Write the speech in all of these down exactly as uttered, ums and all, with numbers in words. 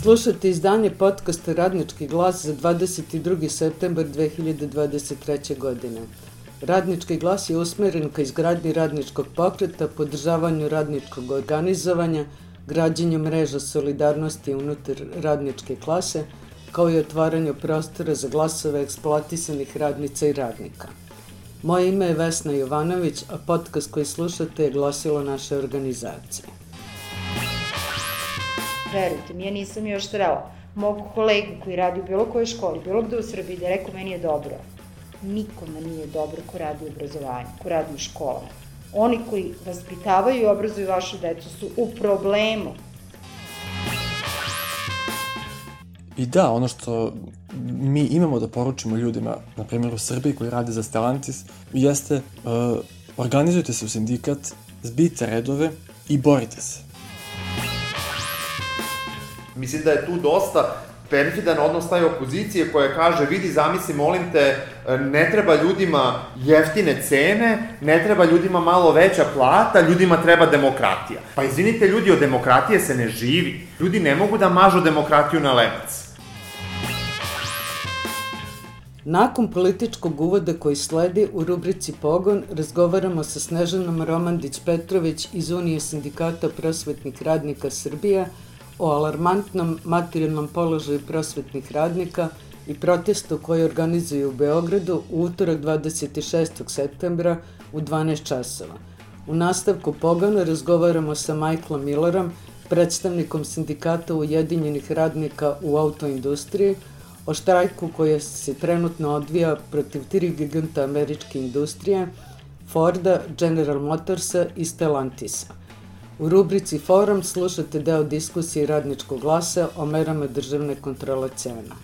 Slušajte izdanje podcasta Radnički glas za dvadeset drugi septembar dve hiljade dvadeset treće. godine. Radnički glas je usmeren ka izgradnji radničkog pokreta, podržavanju radničkog organizovanja, građenju mreža solidarnosti unutar radničke klase, kao i otvaranju prostora za glasove eksploatisanih radnica i radnika. Moje ime je Vesna Jovanović, a podcast koji slušate je glasilo naše organizacije. Verujte mi, ja nisam još srela mog kolegu koji radi u bilo kojoj školi, bilo gde u Srbiji, da je rekao meni je dobro. Nikome nije dobro ko radi u obrazovanju, ko radi u školama. Oni koji vaspitavaju i obrazuju vašu decu su u problemu. I da, ono što mi imamo da poručimo ljudima, na primjer u Srbiji koji rade za Stellantis, jeste uh, organizujte se u sindikat, zbijte redove i borite se. Mislim da je tu dosta perfidan odnos taj opozicije koja kaže, vidi, zamisli, molim te, ne treba ljudima jeftine cene, ne treba ljudima malo veća plata, ljudima treba demokratija. Pa izvinite ljudi, od demokratije se ne živi. Ljudi ne mogu da mažu demokratiju na lebac. Nakon političkog uvoda koji sledi u rubrici Pogon, razgovaramo sa Snežanom Romandić-Petrović iz Unije sindikata prosvetnih radnika Srbije o alarmantnom materijalnom položaju prosvetnih radnika i protestu koji organizuju u Beogradu u utorak dvadeset šestog septembra u dvanaest časova. U nastavku Pogona razgovaramo sa Michaelom Millerom, predstavnikom sindikata Ujedinjenih radnika u autoindustriji, o štrajku koji se trenutno odvija protiv tri giganta američke industrije, Forda, General Motorsa i Stellantisa. U rubrici Forum slušate deo diskusije Radničkog glasa o merama državne kontrole cena.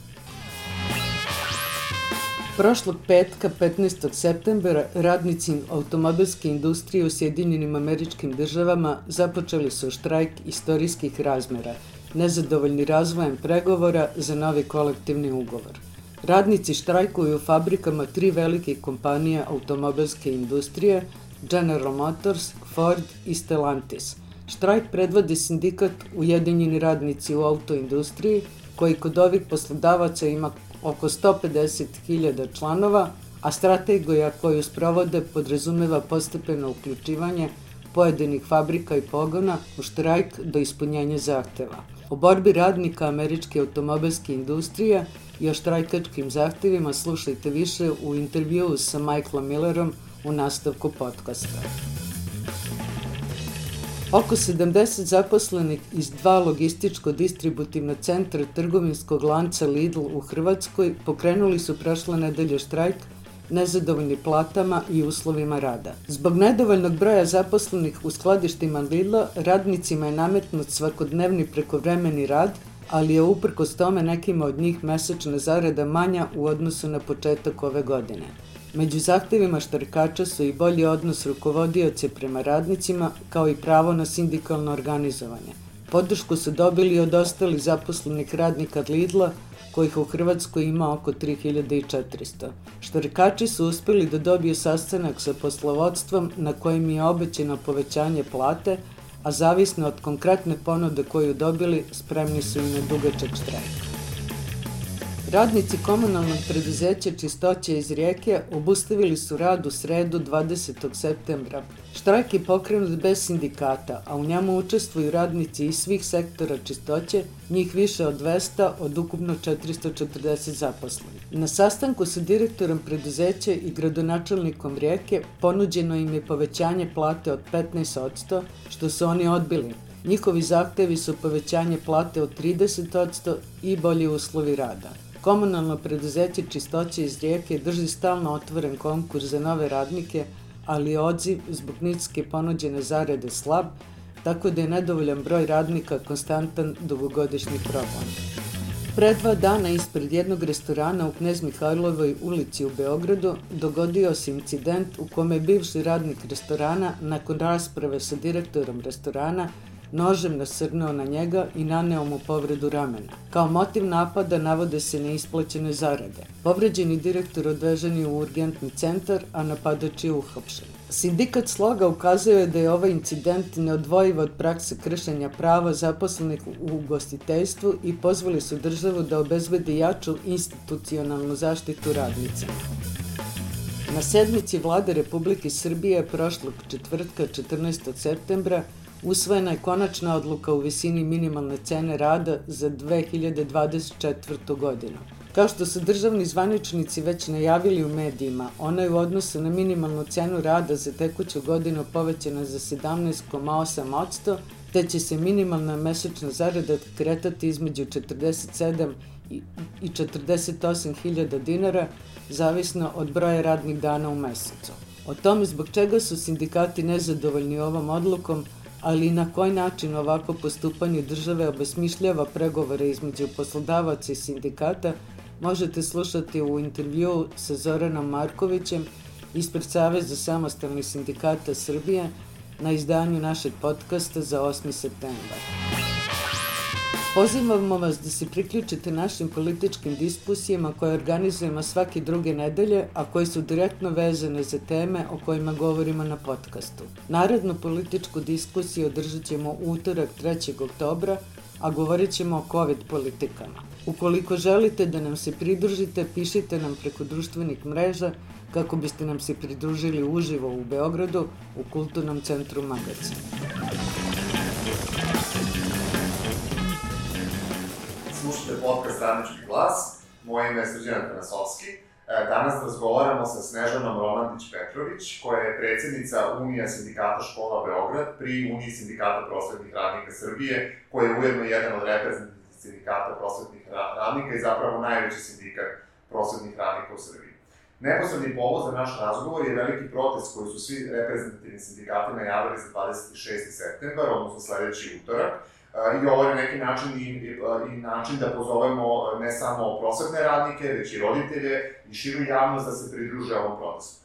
Prošlog petka, petnaestog septembra, radnici automobilske industrije u Sjedinjenim Američkim Državama započeli su štrajk istorijskih razmera, nezadovoljni razvojem pregovora za novi kolektivni ugovor. Radnici štrajkuju u fabrikama tri velike kompanije automobilske industrije, General Motors, Ford i Stellantis. Štrajk predvodi sindikat Ujedinjeni radnici u autoindustriji, koji kod ovih poslodavaca ima oko sto pedeset hiljada članova, a strategija koju sprovode podrazumeva postepeno uključivanje pojedinih fabrika i pogona u štrajk do ispunjenja zahteva. O borbi radnika američke automobilske industrije i o štrajkačkim zahtevima slušajte više u intervjuu sa Michaelom Millerom u nastavku podcasta. Oko sedamdeset zaposlenih iz dva logističko-distributivna centra trgovinskog lanca Lidl u Hrvatskoj pokrenuli su prošle nedelje štrajk, nezadovoljni platama i uslovima rada. Zbog nedovoljnog broja zaposlenih u skladištima Lidla, radnicima je nametnut svakodnevni prekovremeni rad, ali je uprkos tome nekima od njih mesečna zarada manja u odnosu na početak ove godine. Među zahtevima štrajkača su i bolji odnos rukovodioce prema radnicima, kao i pravo na sindikalno organizovanje. Podršku su dobili od ostalih zaposlenih radnika Lidla, kojih u Hrvatskoj ima oko tri hiljade četiristo. Štrajkači su uspeli da dobiju sastanak sa poslovodstvom na kojem je obećano povećanje plate, a zavisno od konkretne ponude koju dobili, spremni su i na dugačak štrajk. Radnici komunalnog preduzeća Čistoća iz Rijeke obustavili su rad u sredu dvadesetog septembra. Štrajk je pokrenut bez sindikata, a u njemu učestvuju radnici iz svih sektora čistoće, njih više od dvesta od ukupno četiristo četrdeset zaposlenih. Na sastanku sa direktorom preduzeća i gradonačelnikom Rijeke ponuđeno im je povećanje plate od petnaest posto, što su oni odbili. Njihovi zahtevi su povećanje plate od trideset posto i bolji uslovi rada. Komunalno preduzeće Čistoće iz Rijeke drži stalno otvoren konkurs za nove radnike, ali je odziv zbog niske ponuđene zarade slab, tako da je nedovoljan broj radnika konstantan dugogodišnji problem. Pre dva dana ispred jednog restorana u Knez Mihajlovoj ulici u Beogradu dogodio se incident u kome je bivši radnik restorana nakon rasprave sa direktorom restorana nožem nasrnuo na njega i naneo mu povredu ramena. Kao motiv napada navode se neisplaćene zarade. Povređeni direktor odvežen je u urgentni centar, a napadač je uhapšen. Sindikat Sloga ukazuje da je ovaj incident neodvojiv od prakse kršenja prava zaposlenih u ugostiteljstvu i pozvali su državu da obezbedi jaču institucionalnu zaštitu radnica. Na sednici Vlade Republike Srbije prošlog četvrtka četrnaestog septembra usvojena je konačna odluka u visini minimalne cene rada za dve hiljade dvadeset četvrtu. godinu. Kao što su državni zvaničnici već najavili u medijima, ona je u odnosu na minimalnu cenu rada za tekuću godinu povećana za sedamnaest zarez osam posto, te će se minimalna mesečna zarada kretati između četrdeset sedam i četrdeset osam hiljada dinara, zavisno od broja radnih dana u mesecu. O tome zbog čega su sindikati nezadovoljni ovom odlukom, ali i na koji način ovako postupanje države obesmišljava pregovore između poslodavaca i sindikata, možete slušati u intervjuu sa Zoranom Markovićem ispred Saveza samostalnih sindikata Srbije na izdanju našeg podcasta za osmi septembar. Pozivamo vas da se priključite našim političkim diskusijama koje organizujemo svake druge nedelje, a koje su direktno vezane za teme o kojima govorimo na podcastu. Narednu političku diskusiju održat ćemo u utorak trećeg oktobra, a govorit ćemo o COVID politikama. Ukoliko želite da nam se pridružite, pišite nam preko društvenih mreža kako biste nam se pridružili uživo u Beogradu u Kulturnom centru Magacin. Slušajte podcast Radnički glas, moje ime je Srđan Atanasovski. Danas razgovaramo sa Snežanom Romandić-Petrović, koja je predsjednica Unija sindikata škola Beograd pri Uniji sindikata prosvetnih radnika Srbije, koja je ujedno jedan od reprezentativnih sindikata prosvetnih radnika i zapravo najveći sindikat prosvetnih radnika u Srbiji. Neposredni povod za naš razgovor je veliki protest koji su svi reprezentativni sindikati najavili za dvadeset šesti septembar, odnosno sledeći utorak, i ovo je neki način i, i, i način da pozovemo ne samo prosvetne radnike, već i roditelje i širu javnost da se pridruže ovom protestu.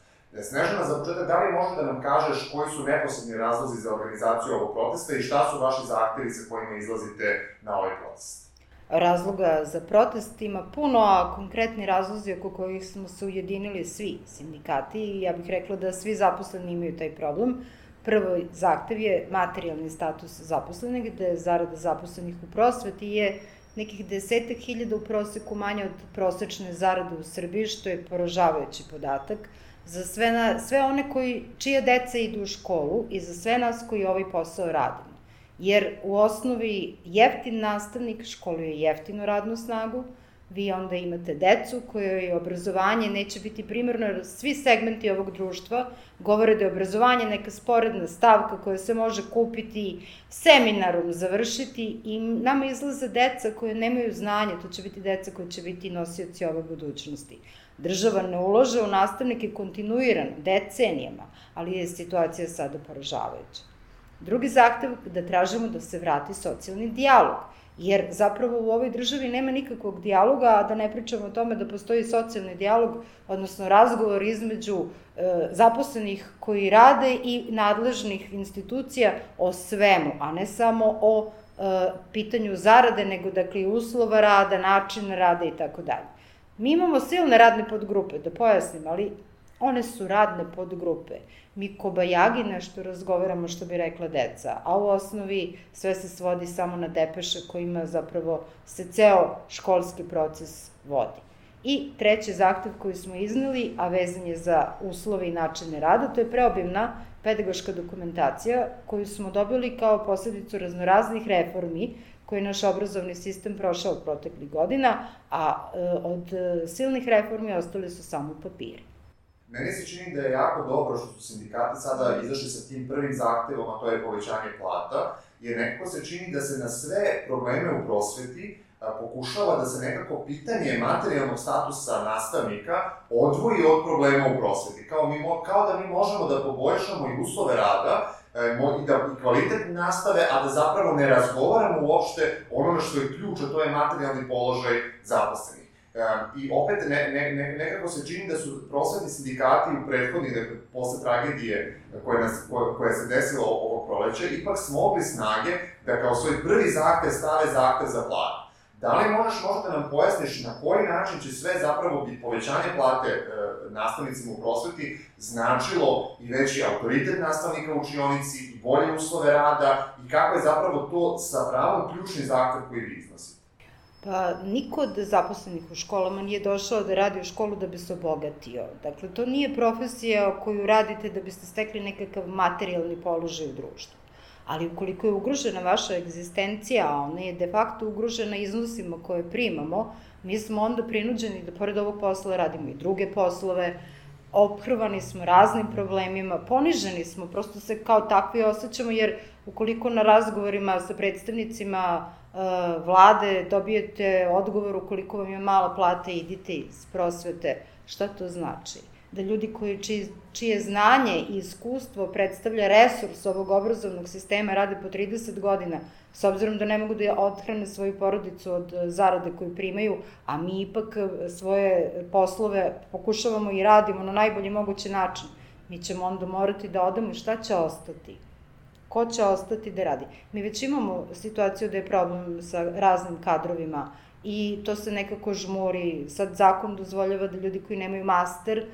Snežana, za početak, da li može da nam kažeš koji su neposredni razlozi za organizaciju ovog protesta i šta su vaši zahtevi sa kojima izlazite na ovaj protest? Razloga za protest ima puno, a konkretni razlozi oko kojih smo se ujedinili svi sindikati i ja bih rekla da svi zaposleni imaju taj problem. Prvo zahtev je materijalni status zaposlenih, gde zarada zaposlenih u prosveti je nekih desetak hiljada u proseku manje od prosečne zarade u Srbiji, što je poražavajući podatak za sve, na, sve one koji, čija deca idu u školu i za sve nas koji ovaj posao radimo. Jer u osnovi jeftin nastavnik školuje jeftinu radnu snagu, vi onda imate decu kojoj obrazovanje neće biti primarno, jer svi segmenti ovog društva govore da je obrazovanje neka sporedna stavka koja se može kupiti, seminarom završiti i nama izlaze deca koje nemaju znanje, to će biti deca koje će biti nosioci ove budućnosti. Država ne ulože u nastavnike kontinuirano, decenijama, ali je situacija sada poražavajuća. Drugi zahtev da tražimo da se vrati socijalni dijalog, jer zapravo u ovoj državi nema nikakvog dijaloga, a da ne pričamo o tome da postoji socijalni dijalog, odnosno razgovor između e, zaposlenih koji rade i nadležnih institucija o svemu, a ne samo o e, pitanju zarade, nego dakle i uslova rada, način rada i tako dalje. Mi imamo silne radne podgrupe, da pojasnim, ali one su radne podgrupe. Mi kobajagi nešto razgovaramo, što bi rekla deca, a u osnovi sve se svodi samo na depeše kojima zapravo se ceo školski proces vodi. I treći zahtev koji smo izneli, a vezan je za uslove i načine rada, to je preobimna pedagoška dokumentacija koju smo dobili kao posledicu raznoraznih reformi koje je naš obrazovni sistem prošao proteklih godina, a od silnih reformi ostali su samo papiri. Meni se čini da je jako dobro što su sindikati sada izašli sa tim prvim zahtevom, a to je povećanje plata, jer nekako se čini da se na sve probleme u prosveti pokušava da se nekako pitanje materijalnog statusa nastavnika odvoji od problema u prosveti. Kao, mi, kao da mi možemo da poboljšamo i uslove rada i, da, i kvalitet nastave, a da zapravo ne razgovaramo uopšte ono što je ključ, a to je materijalni položaj zaposlenih. I opet ne, ne, ne, nekako se čini da su prosvetni sindikati u prethodnih, dakle, posle tragedije koja, nas, koja, koja se desila ovog proleća, ipak smogli snage da kao svoj prvi zahtev stave zahtev za platu. Da li možeš možda da nam pojasniš na koji način će sve zapravo biti povećanje plate e, nastavnicima u prosveti značilo i veći autoritet nastavnika u učionici i bolje uslove rada i kako je zapravo to sa pravom ključni zahtev koji vi iznosite? Pa, niko od zaposlenih u školama nije došao da radi u školu da bi se obogatio. Dakle, to nije profesija koju radite da biste stekli nekakav materijalni položaj u društvu. Ali ukoliko je ugrožena vaša egzistencija, a ona je de facto ugrožena iznosima koje primamo, mi smo onda prinuđeni da pored ovog posla radimo i druge poslove, ophrvani smo raznim problemima, poniženi smo, prosto se kao takvi osjećamo, jer ukoliko na razgovorima sa predstavnicima vlade dobijete odgovor ukoliko vam je mala plata, idite iz prosvete, šta to znači? Da ljudi koji, čije, čije znanje i iskustvo predstavlja resurs ovog obrazovnog sistema rade po trideset godina, s obzirom da ne mogu da odhrane svoju porodicu od zarade koju primaju, a mi ipak svoje poslove pokušavamo i radimo na najbolji mogući način, mi ćemo onda morati da odamo i šta će ostati? Ko će ostati da radi? Mi već imamo situaciju da je problem sa raznim kadrovima i to se nekako žmuri. Sad zakon dozvoljava da ljudi koji nemaju master,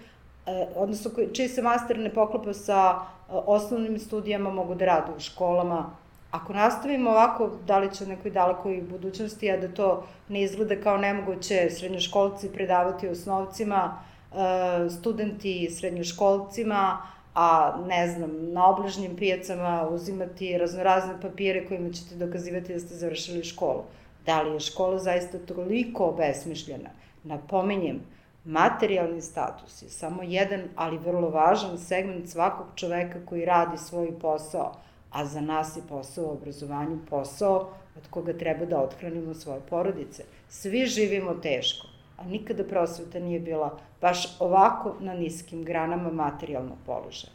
odnosno čiji se master ne poklapa sa osnovnim studijama, mogu da rade u školama. Ako nastavimo ovako, da li će u nekoj dalekoj budućnosti, a da to ne izgleda kao nemoguće, srednjoškolci predavati osnovcima, studenti srednjoškolcima, a ne znam, na obližnjim pijacama uzimati raznorazne papire kojima ćete dokazivati da ste završili školu. Da li je škola zaista toliko obesmišljena? Napominjem, materijalni status je samo jedan, ali vrlo važan segment svakog čoveka koji radi svoj posao, a za nas je posao u obrazovanju posao od koga treba da othranimo svoje porodice. Svi živimo teško, a nikada prosveta nije bila baš ovako na niskim granama materijalnog položaja.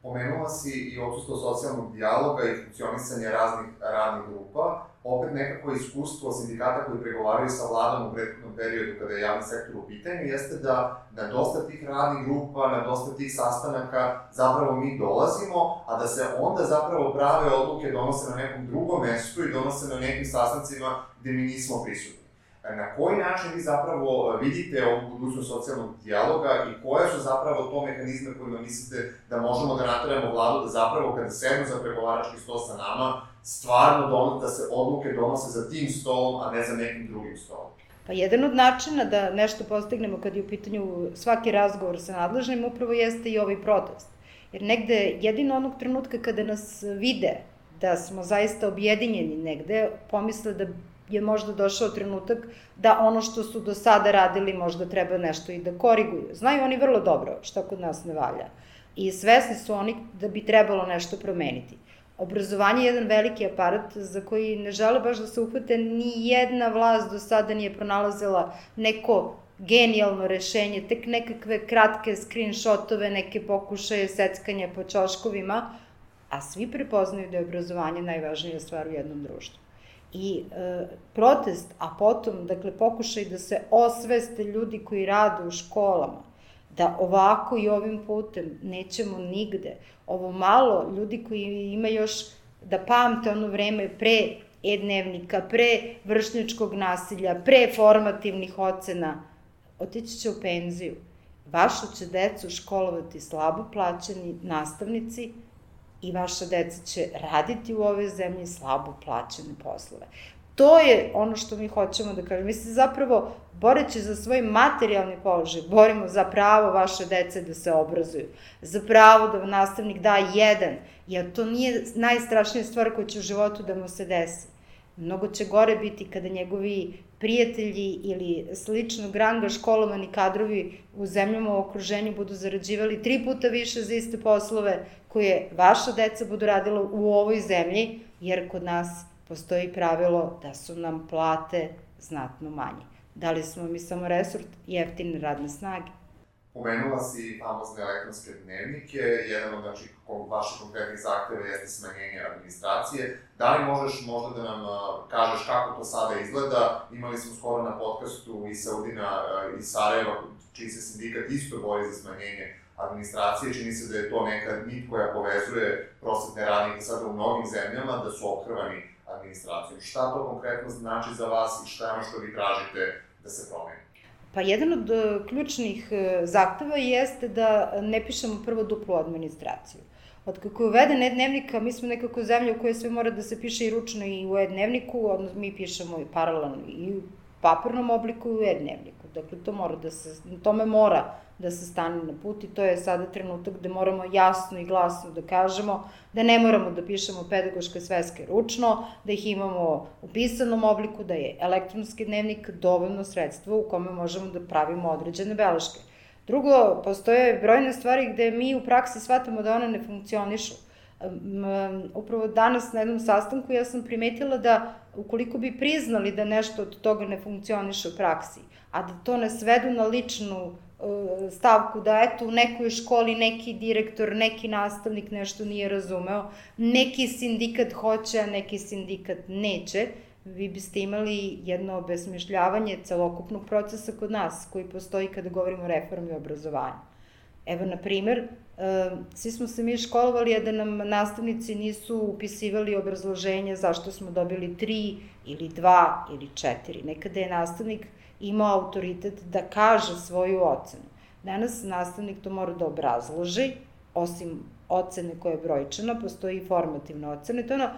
Pomenula si i odsustvo socijalnog dijaloga i funkcionisanje raznih radnih grupa. Opet nekako iskustvo sindikata koji pregovaraju sa vladom u prethodnom periodu kada je javni sektor u pitanju jeste da na dosta tih radnih grupa, na dosta tih sastanaka zapravo mi dolazimo, a da se onda zapravo prave odluke donose na nekom drugom mestu i donose na nekim sastancima gde mi nismo prisutni. Na koji način vi zapravo vidite ovu budućnost socijalnog dijaloga i koje su zapravo to mehanizme kojima mislite da možemo da nateramo vladu da zapravo kada sednu za pregovarački sto sa nama, stvarno donose, da se odluke donose za tim stolom, a ne za nekim drugim stolom? Pa jedan od načina da nešto postignemo kad je u pitanju svaki razgovor sa nadležnim upravo jeste i ovaj protest. Jer negde jedino onog trenutka kada nas vide da smo zaista objedinjeni negde, pomisle da je možda došao trenutak da ono što su do sada radili možda treba nešto i da koriguju. Znaju oni vrlo dobro šta kod nas ne valja i svesni su oni da bi trebalo nešto promeniti. Obrazovanje je jedan veliki aparat za koji ne žele baš da se uhvate, ni jedna vlast do sada nije pronalazila neko genijalno rešenje, tek nekakve kratke screenshotove, neke pokušaje seckanja po ćoškovima, a svi prepoznaju da je obrazovanje najvažnija stvar u jednom društvu. I e, protest, a potom, dakle, pokušaj da se osveste ljudi koji rade u školama, da ovako i ovim putem nećemo nigde. Ovo malo ljudi koji ima još da pamte ono vreme pre e-dnevnika, pre vršnjačkog nasilja, pre formativnih ocena, otići će u penziju. Vašu će decu školovati slabo plaćeni nastavnici, i vaša deca će raditi u ovoj zemlji slabo plaćene poslove. To je ono što mi hoćemo da kažemo. Mi se zapravo, boreći za svoj materijalni položaj, borimo za pravo vaše dece da se obrazuju, za pravo da nastavnik da jedan, jer to nije najstrašnija stvar koja će u životu da mu se desi. Mnogo će gore biti kada njegovi prijatelji ili sličnog ranga školovani kadrovi u zemljama u okruženju budu zarađivali tri puta više za iste poslove koje vaša deca budu radila u ovoj zemlji, jer kod nas postoji pravilo da su nam plate znatno manje. Da li smo mi samo resurs jeftine radne snage? Pomenula si famozne elektronske dnevnike, jedan od znači, vaših konkretnih zahteva jeste smanjenje administracije. Da li možeš možda da nam kažeš kako to sada izgleda? Imali smo skoro na podcastu i Saudina iz Sarajeva, čiji se sindikat isto bori za smanjenje administracije. Čini se da je to neka nit koja povezuje prosvetne radnike sada u mnogim zemljama, da su ophrvani administracijom. Šta to konkretno znači za vas i šta je ono što vi tražite da se promeni? Pa jedan od ključnih zahteva jeste da ne pišemo prvo duplu administraciju. Od kako je uveden e-dnevnika, mi smo nekako zemlja u kojoj sve mora da se piše i ručno i u e-dnevniku, odnosno mi pišemo i paralelno i u papirnom obliku i u e-dnevniku. Dakle, to mora da se, tome mora da se stane na put i to je sada trenutak gde moramo jasno i glasno da kažemo da ne moramo da pišemo pedagoške sveske ručno, da ih imamo u pisanom obliku, da je elektronski dnevnik dovoljno sredstvo u kome možemo da pravimo određene beleške. Drugo, postoje brojne stvari gde mi u praksi shvatamo da one ne funkcionišu. Upravo danas na jednom sastanku ja sam primetila da ukoliko bi priznali da nešto od toga ne funkcioniše u praksi, a da to ne svedu na ličnu stavku da eto u nekoj školi neki direktor, neki nastavnik nešto nije razumeo, neki sindikat hoće, a neki sindikat neće, vi biste imali jedno obesmišljavanje celokupnog procesa kod nas koji postoji kada govorimo o reformi obrazovanja. Evo, na primer, svi smo se mi školovali, a da nam nastavnici nisu upisivali obrazloženje zašto smo dobili tri ili dva ili četiri. Nekada je nastavnik imao autoritet da kaže svoju ocenu. Danas nastavnik to mora da obrazloži, osim ocene koja je brojčana, postoji i formativna ocena. To je ono,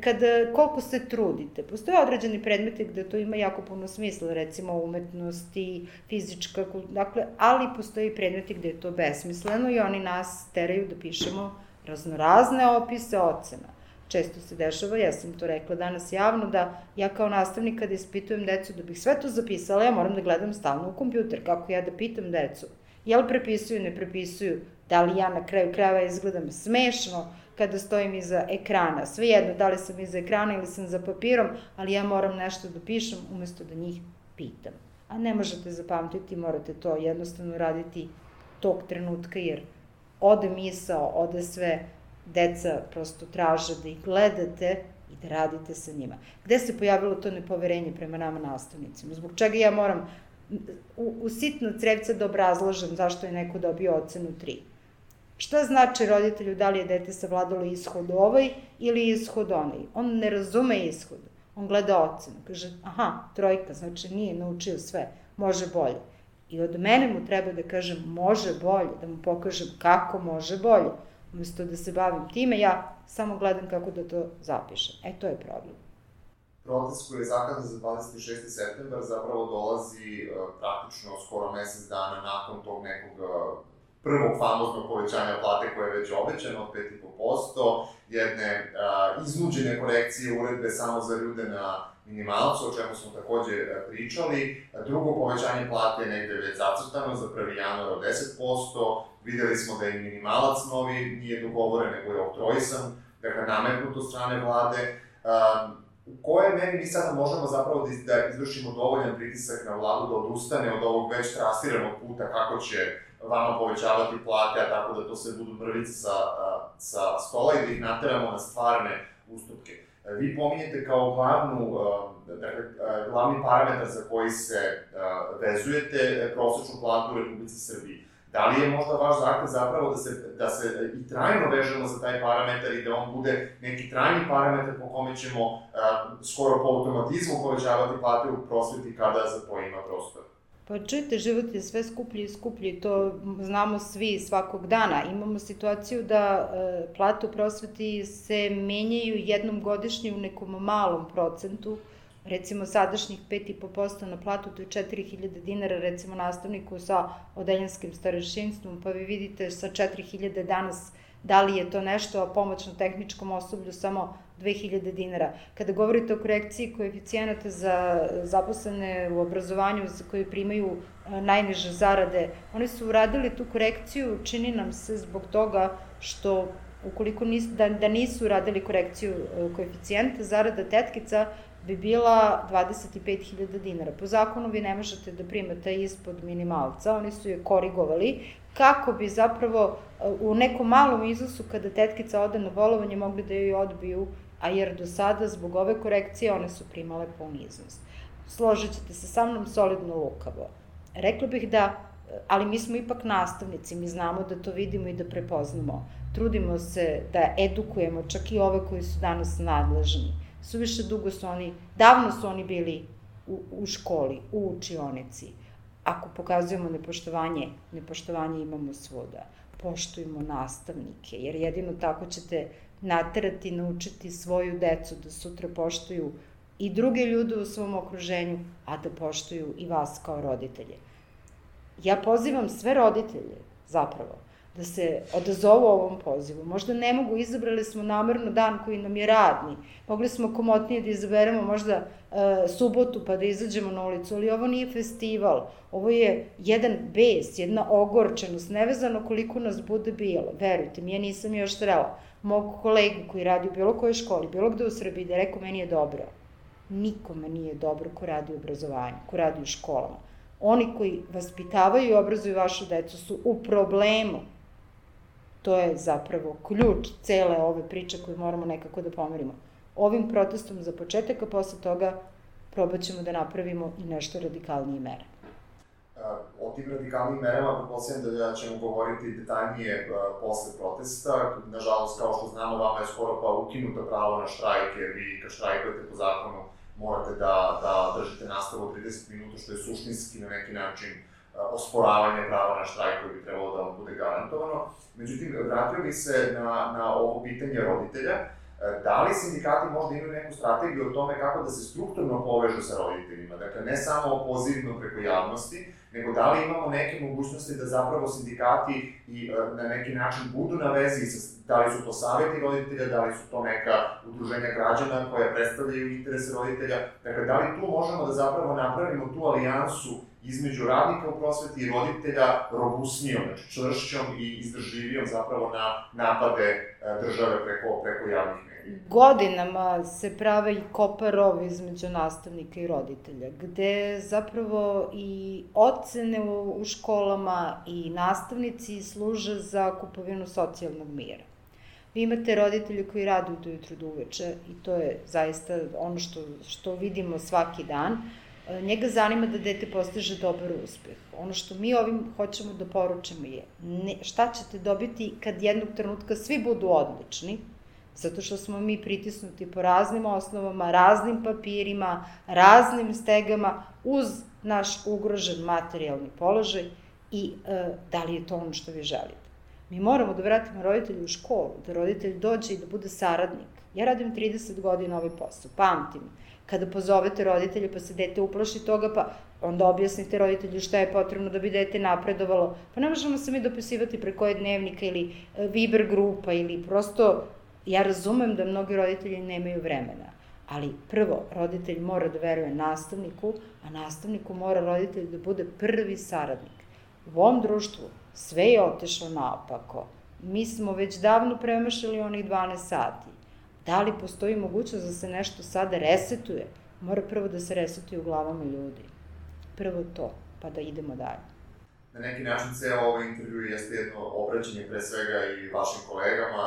kada, koliko se trudite. Postoje određeni predmeti gde to ima jako puno smisla, recimo umetnosti, fizička, dakle, ali postoji i predmeti gde je to besmisleno i oni nas teraju da pišemo raznorazne opise ocena. Često se dešava, ja sam to rekla danas javno, da ja kao nastavnik kada ispitujem decu da bih sve to zapisala, ja moram da gledam stalno u kompjuter, kako ja da pitam decu. Jel prepisuju, ne prepisuju, da li ja na kraju krajeva izgledam smešno kada stojim iza ekrana. Svejedno, da li sam iza ekrana ili sam za papirom, ali ja moram nešto da pišem umesto da njih pitam. A ne možete zapamtiti, morate to jednostavno raditi tog trenutka, jer ode misao, ode sve, deca prosto traže da ih gledate i da radite sa njima. Gde se pojavilo to nepoverenje prema nama nastavnicima? Zbog čega ja moram u, u sitno crevca da obrazlažem zašto je neko dobio ocenu tri? Šta znači roditelju da li je dete savladalo ishod ovaj ili ishod onaj? On ne razume ishod, on gleda ocenu, kaže aha, trojka, znači nije naučio sve, može bolje. I od mene mu treba da kažem može bolje, da mu pokažem kako može bolje. Umesto da se bavim time, ja samo gledam kako da to zapišem. E, to je problem. Protest koji je zakazan za dvadeset šesti septembar zapravo dolazi praktično skoro mesec dana nakon tog nekog prvog famoznog povećanja plate koje je već obećano od pet zarez pet posto, jedne iznuđene korekcije uredbe samo za ljude na minimalcu, o čemu smo takođe pričali. Drugo povećanje plate je negde već zacrtano za prvi januar od deset posto. Videli smo da je minimalac novi nije dogovoren, nego je oktroisan, dakle nametnut od strane vlade. U kojoj meri mi sada možemo zapravo da izvršimo dovoljan pritisak na vladu da odustane od ovog već trasiranog puta kako će vama povećavati plate, a tako da to sve budu mrvice sa, sa stola i da ih nateramo na stvarne ustupke. Vi pominjete kao glavnu, dakle, glavni parametar za koji se vezujete prosečnu platu u Republici Srbiji. Da li je možda vaš zahtev zapravo da se, da se i trajno vežemo za taj parametar i da on bude neki trajni parametar po kome ćemo uh, skoro po automatizmu povećavati plate u prosveti kada za to ima prostor? Pa čujte, život je sve skuplji i skuplji, to znamo svi svakog dana. Imamo situaciju da e, plate u prosveti se menjaju jednom godišnje u nekom malom procentu, recimo sadašnjih pet zarez pet posto na platu, to je četiri hiljade dinara, recimo nastavniku sa odeljanskim starešinstvom, pa vi vidite sa četiri hiljade danas da li je to nešto, a pomoćno-tehničkom osoblju samo dve hiljade dinara. Kada govorite o korekciji koeficijenata za zaposlene u obrazovanju koji primaju najniže zarade, oni su uradili tu korekciju, čini nam se zbog toga što ukoliko nis, da, da nisu uradili korekciju koeficijenta, zarada tetkica bi bila dvadeset pet hiljada dinara. Po zakonu vi ne možete da primate ispod minimalca, oni su je korigovali, kako bi zapravo u nekom malom iznosu kada tetkica ode na bolovanje mogli da joj odbiju, a jer do sada zbog ove korekcije one su primale pun iznos. Složit ćete se sa mnom solidno lukavo. Rekla bih da, ali mi smo ipak nastavnici, mi znamo da to vidimo i da prepoznamo. Trudimo se da edukujemo čak i ove koji su danas nadležni. Suviše dugo su oni, davno su oni bili u, u školi, u učionici. Ako pokazujemo nepoštovanje, nepoštovanje imamo svuda. Poštujemo nastavnike, jer jedino tako ćete naterati, naučiti svoju decu da sutra poštuju i druge ljude u svom okruženju, a da poštuju i vas kao roditelje. Ja pozivam sve roditelje, zapravo, da se odazovu ovom pozivu. Možda ne mogu, izabrali smo namerno dan koji nam je radni. Mogli smo komotnije da izaberemo možda e, subotu pa da izađemo na ulicu, ali ovo nije festival. Ovo je jedan bes, jedna ogorčenost, nevezano koliko nas bude bilo. Verujte mi, ja nisam još srela mog kolegu koji radi u bilo kojoj školi, bilo gde u Srbiji, da je rekao meni je dobro. Nikome nije dobro ko radi u obrazovanju, ko radi u školama. Oni koji vaspitavaju i obrazuju vašu decu su u problemu. To je zapravo ključ cele ove priče koju moramo nekako da pomerimo. Ovim protestom za početak, a posle toga probat ćemo da napravimo i nešto radikalnije mere. O tim radikalnim merama pretpostavljam da ćemo govoriti detaljnije posle protesta. Nažalost, kao što znamo, vama je skoro pa ukinuto pravo na štrajk, jer vi kad štrajkujete po zakonu morate da, da držite nastavu od trideset minuta, što je suštinski na neki način osporavanje prava na štrajk koji bi trebalo da vam bude garantovano. Međutim, vratio bih se na, na ovo pitanje roditelja. Da li sindikati možda imaju neku strategiju o tome kako da se strukturno povežu sa roditeljima? Dakle, ne samo pozivno preko javnosti, nego da li imamo neke mogućnosti da zapravo sindikati i na neki način budu na vezi, sa, da li su to savjeti roditelja, da li su to neka udruženja građana koja predstavljaju interese roditelja. Dakle, da li tu možemo da zapravo napravimo tu alijansu između radnika u prosveti i roditelja robusnijom, znači čvršćom i izdržljivijom zapravo na napade države preko, preko javnih medija. Godinama se prave i kopa rov između nastavnika i roditelja, gde zapravo i ocene u, u školama i nastavnici služe za kupovinu socijalnog mira. Vi imate roditelje koji rade od ujutru do uveče i to je zaista ono što, što vidimo svaki dan. Njega zanima da dete postiže dobar uspeh. Ono što mi ovim hoćemo da poručimo je ne, šta ćete dobiti kad jednog trenutka svi budu odlični, zato što smo mi pritisnuti po raznim osnovama, raznim papirima, raznim stegama, uz naš ugrožen materijalni položaj i e, da li je to ono što vi želite. Mi moramo da vratimo roditelju u školu, da roditelj dođe i da bude saradnik. Ja radim trideset godina ovaj posao, pamtim. Kada pozovete roditelje pa se dete uplaši toga, pa onda objasnite roditelju šta je potrebno da bi dete napredovalo. Pa ne možemo se mi dopisivati preko dnevnika ili Viber grupa ili prosto, ja razumem da mnogi roditelji nemaju vremena, ali prvo, roditelj mora da veruje nastavniku, a nastavniku mora roditelj da bude prvi saradnik. U ovom društvu sve je otešlo naopako. Mi smo već davno premašili onih dvanaest sati. Da li postoji mogućnost da se nešto sada resetuje? Mora prvo da se resetuje u glavama ljudi. Prvo to, pa da idemo dalje. Na neki način ceo ovaj intervju jeste jedno obraćanje pre svega i vašim kolegama,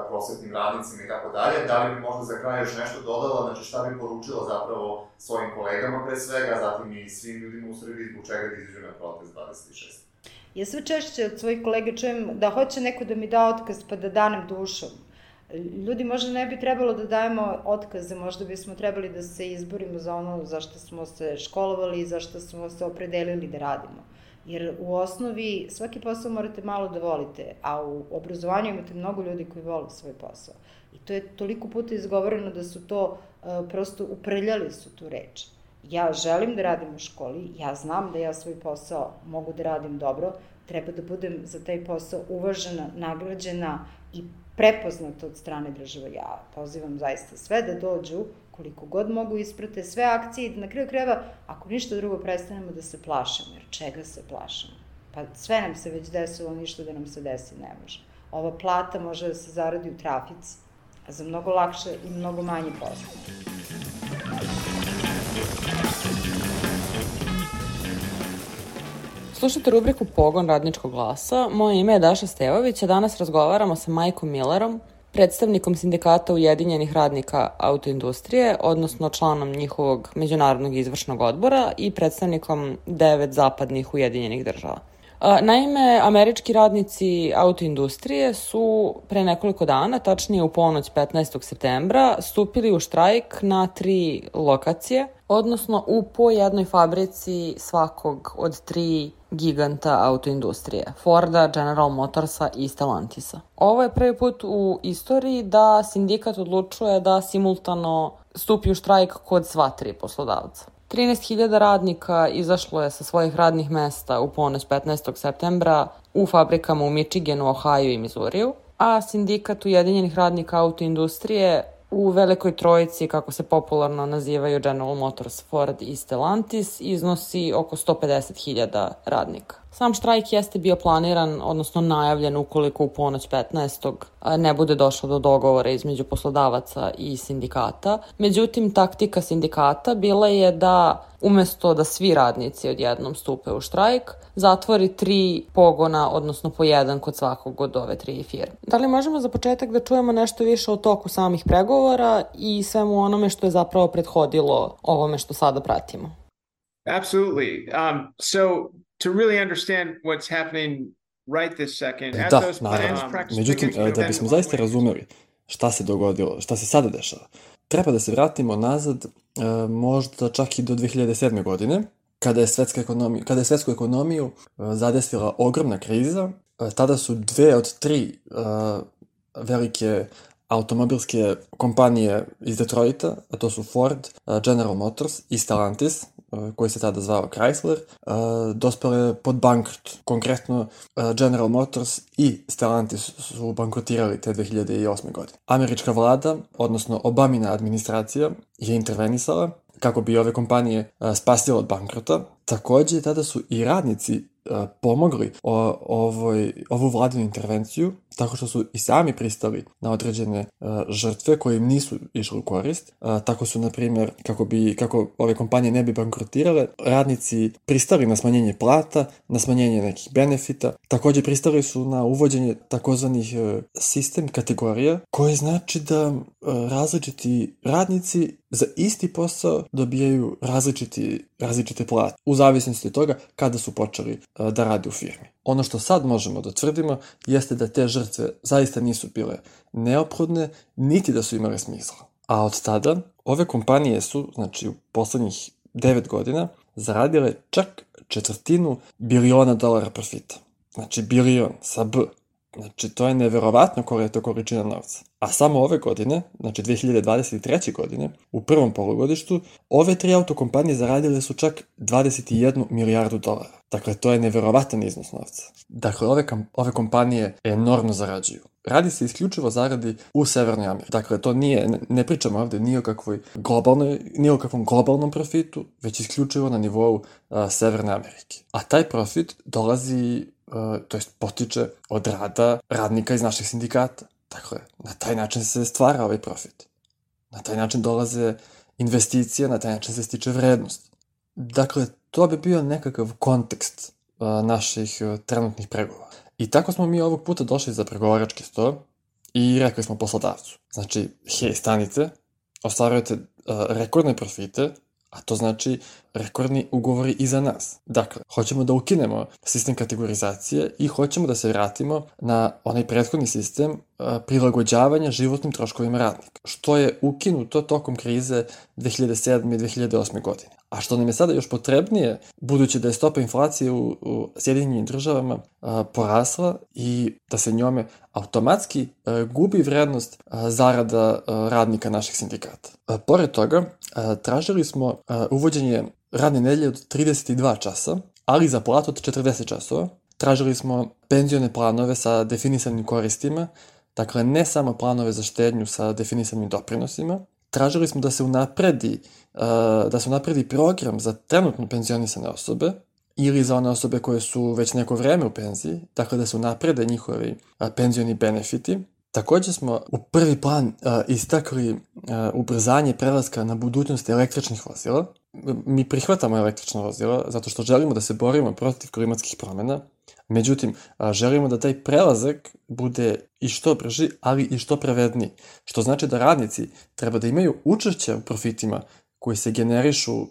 prosvetnim radnicima i tako dalje. Da li bi možda za kraj još nešto dodala, znači šta bi poručila zapravo svojim kolegama pre svega, a zatim i svim ljudima u Srbiji zbog čega da izađu na protest dvadeset šestog Ja sve češće od svojih kolega čujem da hoće neko da mi da otkaz pa da danem dušom. Ljudi možda ne bi trebalo da dajemo otkaze, možda bismo trebali da se izborimo za ono za što smo se školovali i za što smo se opredelili da radimo. Jer u osnovi svaki posao morate malo da volite, a u obrazovanju imate mnogo ljudi koji vole svoj posao. I to je toliko puta izgovoreno da su to, prosto uprljali su tu reč. Ja želim da radim u školi, ja znam da ja svoj posao mogu da radim dobro, treba da budem za taj posao uvažena, nagrađena i prepoznata od strane države. Ja pozivam zaista sve da dođu, koliko god mogu isprate sve akcije i na kraju krajeva, ako ništa drugo, prestanemo da se plašimo. Jer čega se plašimo? Pa sve nam se već desilo, ništa da nam se desi ne može. Ova plata može da se zaradi u trafici, a za mnogo lakše i mnogo manje posla. Slušajte rubriku Pogon radničkog glasa. Moje ime je Daša Stevović, a danas razgovaramo sa Majkom Millerom, predstavnikom sindikata Ujedinjenih radnika autoindustrije, odnosno članom njihovog međunarodnog izvršnog odbora i predstavnikom devet zapadnih Ujedinjenih država. Naime, američki radnici autoindustrije su pre nekoliko dana, tačnije u ponoć petnaestog septembra, stupili u štrajk na tri lokacije, odnosno u po jednoj fabrici svakog od tri giganta autoindustrije, Forda, General Motorsa i Stellantisa. Ovo je prvi put u istoriji da sindikat odlučuje da simultano stupi u štrajk kod sva tri poslodavca. trinaest hiljada radnika izašlo je sa svojih radnih mesta u ponoć petnaestog septembra u fabrikama u Michiganu, Ohio i Missouriju, a sindikat Ujedinjenih radnika autoindustrije u Velikoj trojici, kako se popularno nazivaju General Motors, Ford i Stellantis, iznosi oko sto pedeset hiljada radnika. Sam štrajk jeste bio planiran, odnosno najavljen ukoliko u ponoć petnaestog ne bude došlo do dogovora između poslodavaca i sindikata. Međutim, taktika sindikata bila je da umesto da svi radnici odjednom stupe u štrajk, zatvori tri pogona, odnosno po jedan kod svakog od ove tri firme. Da li možemo za početak da čujemo nešto više o toku samih pregovora i svemu onome što je zapravo prethodilo ovome što sada pratimo? Absolutely. Um, so to really understand what's happening right this second, at Da, those naravno. plans, Međutim, da bismo zaista razumeli šta se dogodilo, šta se sada dešava, treba da se vratimo nazad e, možda čak i do dve hiljade sedme. godine, kada je, svetska ekonomija, kada je svetsku ekonomiju e, zadesila ogromna kriza. E, tada su dve od tri e, velike automobilske kompanije iz Detroita, a to su Ford, General Motors i Stellantis, koji se tada zvao Chrysler, dospele pod bankrot. Konkretno, General Motors i Stellantis su bankrotirali te dve hiljade osme. godine. Američka vlada, odnosno Obamina administracija, je intervenisala kako bi ove kompanije spasila od bankrota. Takođe, tada su i radnici pomogli o, ovoj, ovu vladinu intervenciju tako što su i sami pristali na određene uh, žrtve koje im nisu išli u korist. Uh, tako su, na primjer, kako, bi, kako ove kompanije ne bi bankrotirale, radnici pristali na smanjenje plata, na smanjenje nekih benefita. Takođe pristali su na uvođenje takozvanih uh, sistem kategorija, koji znači da uh, različiti radnici za isti posao dobijaju različiti, različite plate, u zavisnosti od toga kada su počeli uh, da rade u firmi. Ono što sad možemo da tvrdimo jeste da te žrtve zaista nisu bile neophodne, niti da su imale smisla. A od tada ove kompanije su, znači u poslednjih devet godina, zaradile čak četvrtinu biliona dolara profita. Znači bilion sa B. Znači to je neverovatno koja je to količina novca. A samo ove godine, znači dve hiljade dvadeset treće. godine, u prvom polugodištu, ove tri autokompanije zaradile su čak dvadeset jednu milijardu dolara. Dakle, to je neverovatan iznos novca. Dakle, ove, kam, ove kompanije enormno zarađuju. Radi se isključivo zaradi u Severnoj Americi. Dakle, to nije, ne, ne pričamo ovde ni o kakvoj globalnoj, ni o kakvom globalnom profitu, već isključivo na nivou a, Severne Amerike. A taj profit dolazi, a, to jest potiče od rada radnika iz naših sindikata. Dakle, na taj način se stvara ovaj profit. Na taj način dolaze investicije, na taj način se stiče vrednost. Dakle, to bi bio nekakav kontekst a, naših a, trenutnih pregovora. I tako smo mi ovog puta došli za pregovarački sto i rekli smo poslodavcu. Znači, hej, stanite, ostvarujete uh, rekordne profite, a to znači rekordni ugovori i za nas. Dakle, hoćemo da ukinemo sistem kategorizacije i hoćemo da se vratimo na onaj prethodni sistem uh, prilagođavanja životnim troškovima radnika, što je ukinuto tokom krize dve hiljade sedme i dve hiljade osme. godine. A što nam je sada još potrebnije, budući da je stopa inflacije u, u Sjedinjenim državama a, porasla i da se njome automatski a, gubi vrednost a, zarada a, radnika naših sindikata. A, pored toga, a, tražili smo a, uvođenje radne nedelje od trideset dva časa, ali za platu od četrdeset časova. Tražili smo penzione planove sa definisanim koristima, dakle ne samo planove za štednju sa definisanim doprinosima. Tražili smo da se unapredi, uh, da se unapredi program za trenutno penzionisane osobe ili za one osobe koje su već neko vreme u penziji, dakle da se unaprede njihovi uh, penzioni benefiti. Takođe smo u prvi plan uh, istakli uh, ubrzanje prelaska na budućnost električnih vozila. Mi prihvatamo električna vozila zato što želimo da se borimo protiv klimatskih promena. Međutim, želimo da taj prelazak bude i što brži, ali i što pravedniji. Što znači da radnici treba da imaju učešće u profitima koji se generišu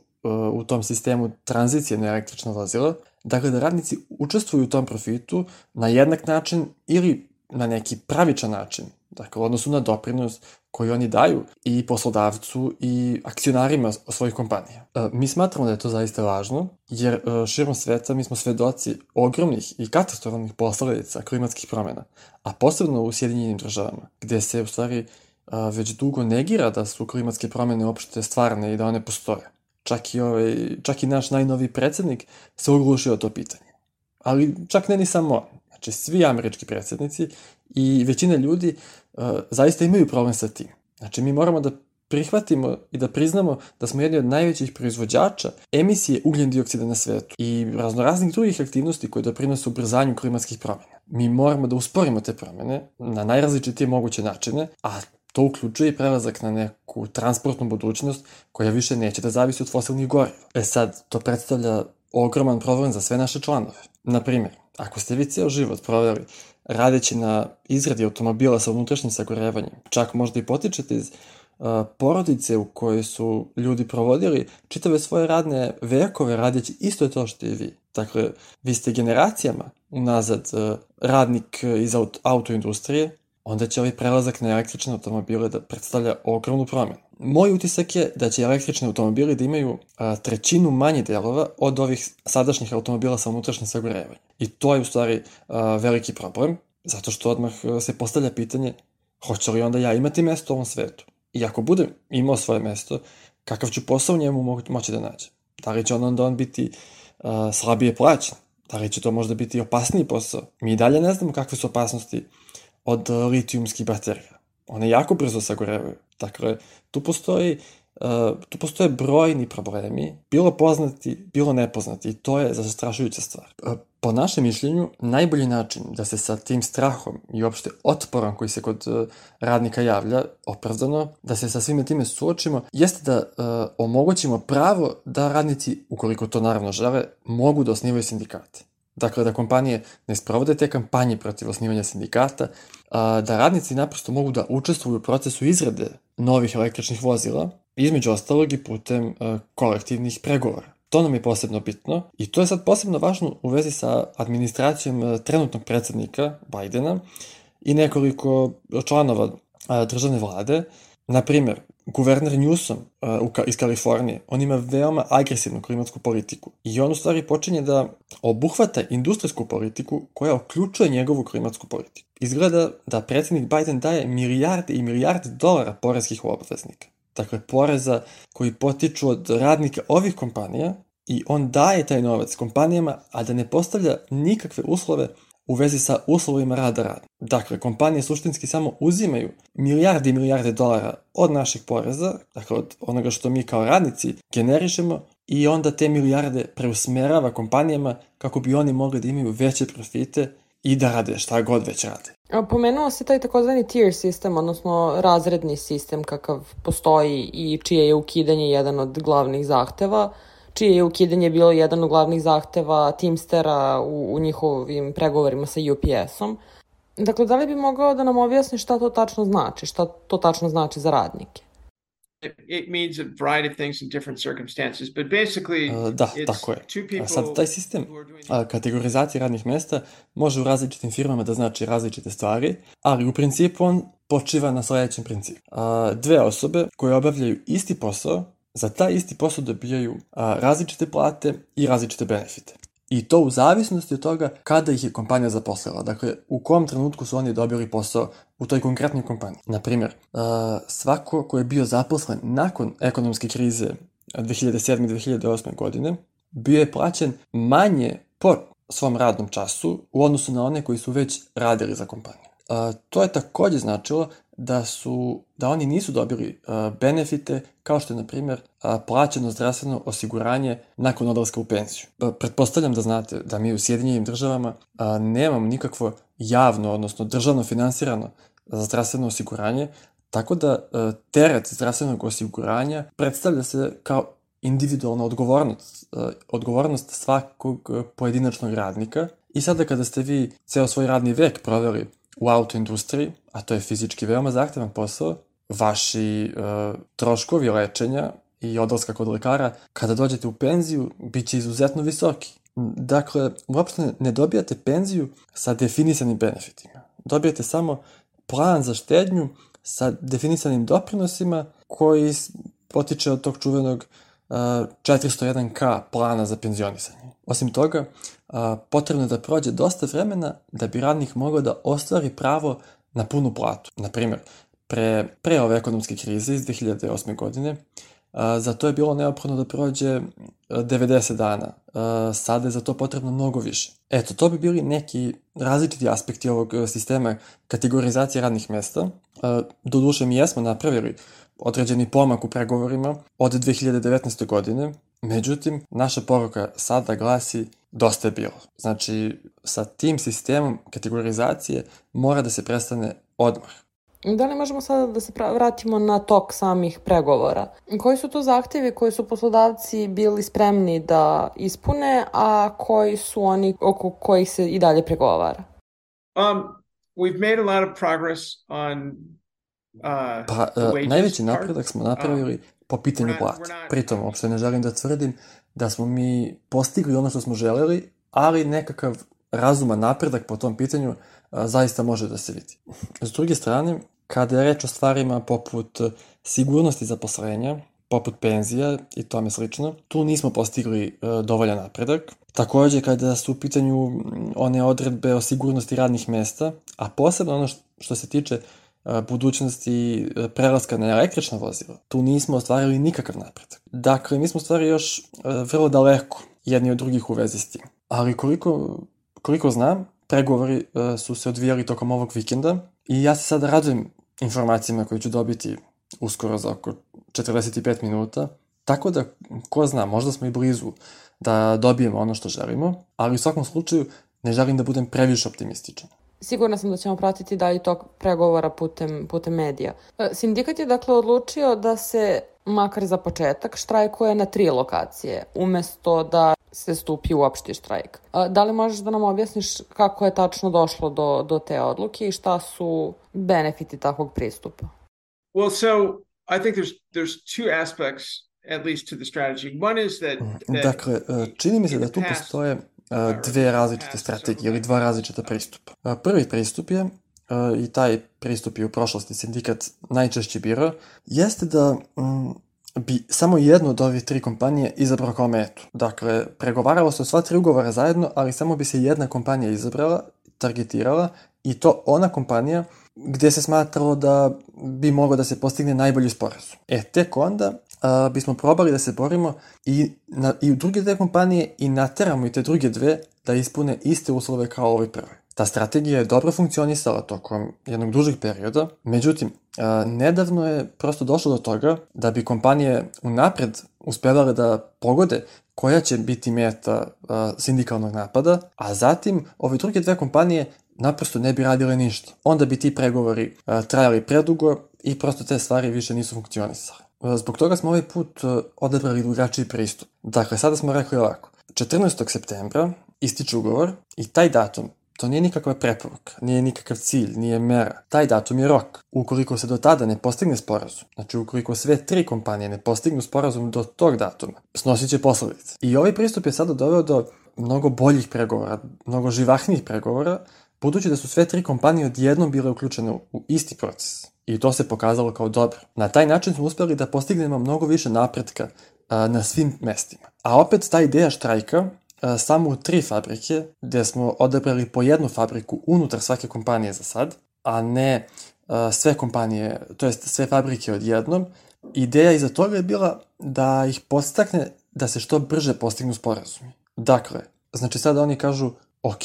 u tom sistemu tranzicije na električna vozila, Dakle, da radnici učestvuju u tom profitu na jednak način ili na neki pravičan način, dakle, u odnosu na doprinos koji oni daju i poslodavcu i akcionarima svojih kompanija. Mi smatramo da je to zaista važno, jer širom sveta mi smo svedoci ogromnih i katastrofalnih posledica klimatskih promjena, a posebno u Sjedinjenim državama, gde se u stvari već dugo negira da su klimatske promjene uopšte stvarne i da one postoje. Čak i, ovaj, čak i naš najnoviji predsjednik se oglušio o to pitanje. Ali čak ne ni samo on. Znači, svi američki predsjednici i većina ljudi uh, zaista imaju problem sa tim. Znači, mi moramo da prihvatimo i da priznamo da smo jedni od najvećih proizvođača emisije ugljen dioksida na svetu i raznoraznih drugih aktivnosti koje doprinose ubrzanju klimatskih promjena. Mi moramo da usporimo te promjene na najrazličitije moguće načine, a to uključuje i prelazak na neku transportnu budućnost koja više neće da zavisi od fosilnih goriva. E sad, to predstavlja ogroman problem za sve naše članove. Naprimjer, ako ste vi ceo život proveli radeći na izradi automobila sa unutrašnjim sagorevanjem, čak možda i potičete iz uh, porodice u kojoj su ljudi provodili čitave svoje radne vekove radeći isto to što i vi. Dakle, vi ste generacijama unazad uh, radnik iz aut- autoindustrije, onda će ovaj prelazak na električne automobile da predstavlja ogromnu promjenu. Moj utisak je da će električni automobili da imaju a, trećinu manje delova od ovih sadašnjih automobila sa unutrašnjim sagorevanjem. I to je u stvari a, veliki problem, zato što odmah se postavlja pitanje hoće li onda ja imati mesto u ovom svetu. I ako budem imao svoje mesto, kakav ću posao u njemu mo- moći da nađem? Da li će on onda on biti a, slabije plaćen? Da li će to možda biti opasniji posao? Mi i dalje ne znamo kakve su opasnosti od litijumskih baterija. One jako brzo sagorevaju. Dakle, tu postoji, uh, tu postoje brojni problemi, bilo poznati, bilo nepoznati, i to je zastrašujuća stvar. Uh, po našem mišljenju, najbolji način da se sa tim strahom i uopšte otporom koji se kod uh, radnika javlja, opravdano, da se sa svime time suočimo, jeste da uh, omogućimo pravo da radnici, ukoliko to naravno žele, mogu da osnivaju sindikate. Dakle, da kompanije ne sprovode te kampanje protiv osnivanja sindikata, a, da radnici naprosto mogu da učestvuju u procesu izrade novih električnih vozila, između ostalog i putem a, kolektivnih pregovora. To nam je posebno bitno i to je sad posebno važno u vezi sa administracijom a, trenutnog predsjednika Bajdena i nekoliko članova a, državne vlade. Na primjer, guverner Newsom uh, iz Kalifornije, on ima veoma agresivnu klimatsku politiku i on u stvari počinje da obuhvata industrijsku politiku koja uključuje njegovu klimatsku politiku. Izgleda da predsjednik Biden daje milijarde i milijarde dolara poreskih obveznika. Dakle, poreza koji potiču od radnika ovih kompanija i on daje taj novac kompanijama, a da ne postavlja nikakve uslove u vezi sa uslovima rada rada. Dakle, kompanije suštinski samo uzimaju milijarde i milijarde dolara od naših poreza, dakle od onoga što mi kao radnici generišemo, i onda te milijarde preusmerava kompanijama kako bi oni mogli da imaju veće profite i da rade šta god već rade. Pomenuo se taj takozvani tier sistem, odnosno razredni sistem kakav postoji i čije je ukidanje jedan od glavnih zahteva, čije je ukidanje bilo jedan od glavnih zahteva Teamstera u, u njihovim pregovorima sa U P S-om. Dakle, da li bi mogao da nam objasni šta to tačno znači, šta to tačno znači za radnike? It means a variety of things in different circumstances, but basically uh, da, tako je. A sad, taj sistem a, kategorizacije radnih mesta može u različitim firmama da znači različite stvari, ali u principu on počiva na sljedećem principu. A, dve osobe koje obavljaju isti posao, za taj isti posao dobijaju a, različite plate i različite benefite. I to u zavisnosti od toga kada ih je kompanija zaposlila. Dakle, u kom trenutku su oni dobili posao u toj konkretnoj kompaniji. Naprimjer, uh, svako ko je bio zaposlen nakon ekonomske krize dve hiljade sedme i dve hiljade osme godine bio je plaćen manje po svom radnom času u odnosu na one koji su već radili za kompaniju. Uh, to je također značilo da su da oni nisu dobili uh, benefite kao što je, na primjer, uh, plaćeno zdravstveno osiguranje nakon odlaska u penziju. Uh, pretpostavljam da znate da mi u Sjedinjenim državama uh, nemamo nikakvo javno, odnosno državno finansirano zdravstveno osiguranje, tako da uh, teret zdravstvenog osiguranja predstavlja se kao individualna odgovornost, uh, odgovornost svakog uh, pojedinačnog radnika. I sada kada ste vi ceo svoj radni vek proveli u autoindustriji, a to je fizički veoma zahtevan posao, vaši e, troškovi lečenja i odlaska kod lekara, kada dođete u penziju, bit će izuzetno visoki. Dakle, uopšte ne dobijate penziju sa definisanim benefitima. Dobijate samo plan za štednju sa definisanim doprinosima koji potiče od tog čuvenog uh, četiristo jedan ka plana za penzionisanje. Osim toga, uh, potrebno je da prođe dosta vremena da bi radnik mogao da ostvari pravo na punu platu. Naprimjer, pre, pre ove ekonomske krize iz dve hiljade osme godine, a, za to je bilo neophodno da prođe devedeset dana. A, sada je za to potrebno mnogo više. Eto, to bi bili neki različiti aspekti ovog sistema kategorizacije radnih mesta. A, doduše, mi jesmo napravili određeni pomak u pregovorima od dve hiljade devetnaeste. godine, međutim, naša poruka sada glasi dosta je bilo. Znači, sa tim sistemom kategorizacije mora da se prestane odmah. Da li možemo sada da se vratimo na tok samih pregovora? Koji su to zahtjevi koji su poslodavci bili spremni da ispune, a koji su oni oko kojih se i dalje pregovara? Um, we've made a lot of progress on uh, pa, the wages najveći part. napredak smo napravili po pitanju we're not- plata. we're not- Pritom, uopšte ne želim da tvrdim da smo mi postigli ono što smo želeli, ali nekakav razuman napredak po tom pitanju a, zaista može da se vidi. S druge strane, kada je reč o stvarima poput sigurnosti zaposlenja, poput penzija i tome slično, tu nismo postigli e, dovoljan napredak. Takođe, kada su u pitanju m, one odredbe o sigurnosti radnih mesta, a posebno ono što, što se tiče e, budućnosti e, prelaska na električna vozila, tu nismo ostvarili nikakav napredak. Dakle, mi smo stvari još e, vrlo daleko jedni od drugih u vezi s tim. Ali koliko, koliko znam, pregovori e, su se odvijali tokom ovog vikenda i ja se sada radujem informacijama koje ću dobiti uskoro za oko četrdeset pet minuta, tako da, ko zna, možda smo i blizu da dobijemo ono što želimo, ali u svakom slučaju ne želim da budem previše optimističan. Sigurna sam da ćemo pratiti dalje tok pregovora putem, putem medija. E, Sindikat je dakle odlučio da se, makar za početak, štrajkuje na tri lokacije, umesto da se stupi u opšti štrajk. E, Da li možeš da nam objasniš kako je tačno došlo do, do te odluke i šta su benefiti takvog pristupa? Well, so I think there's there's two aspects, at least to the strategy. One is that, that Dakle, e, čini mi se da tu in the past, postoje e, dve različite strategije ili dva različita pristupa. E, Prvi pristup je, e, i taj pristup je u prošlosti sindikat najčešće birao, jeste da mm, bi samo jednu od ovih tri kompanije izabrao kao metu. Dakle, pregovaralo se o sva tri ugovora zajedno, ali samo bi se jedna kompanija izabrala, targetirala, i to ona kompanija gdje se smatralo da bi moglo da se postigne najbolji sporazum. E, tek onda a, bismo probali da se borimo i, na, i u druge dve kompanije i nateramo i te druge dve da ispune iste uslove kao ovoj prvoj. Ta strategija je dobro funkcionisala tokom jednog dužeg perioda, međutim, a, nedavno je prosto došlo do toga da bi kompanije unapred uspevale da pogode koja će biti meta a, sindikalnog napada, a zatim ove druge dve kompanije naprosto ne bi radile ništa. Onda bi ti pregovori a, trajali predugo i prosto te stvari više nisu funkcionisale. A, zbog toga smo ovaj put a, odabrali drugačiji pristup. Dakle, sada smo rekli ovako. četrnaestog septembra ističe ugovor i taj datum, to nije nikakva preporuka, nije nikakav cilj, nije mera. Taj datum je rok. Ukoliko se do tada ne postigne sporazum, znači ukoliko sve tri kompanije ne postignu sporazum do tog datuma, snosit će posledice. I ovaj pristup je sada doveo do mnogo boljih pregovora, mnogo živahnijih pregovora, budući da su sve tri kompanije odjednom bile uključene u isti proces. I to se pokazalo kao dobro. Na taj način smo uspjeli da postignemo mnogo više napretka a, na svim mestima. A opet ta ideja štrajka a, samo u tri fabrike, gdje smo odabrali po jednu fabriku unutar svake kompanije za sad, a ne a, sve kompanije, to jest sve fabrike odjednom, ideja iza toga je bila da ih podstakne da se što brže postignu sporazumi. Dakle, znači sada oni kažu, ok,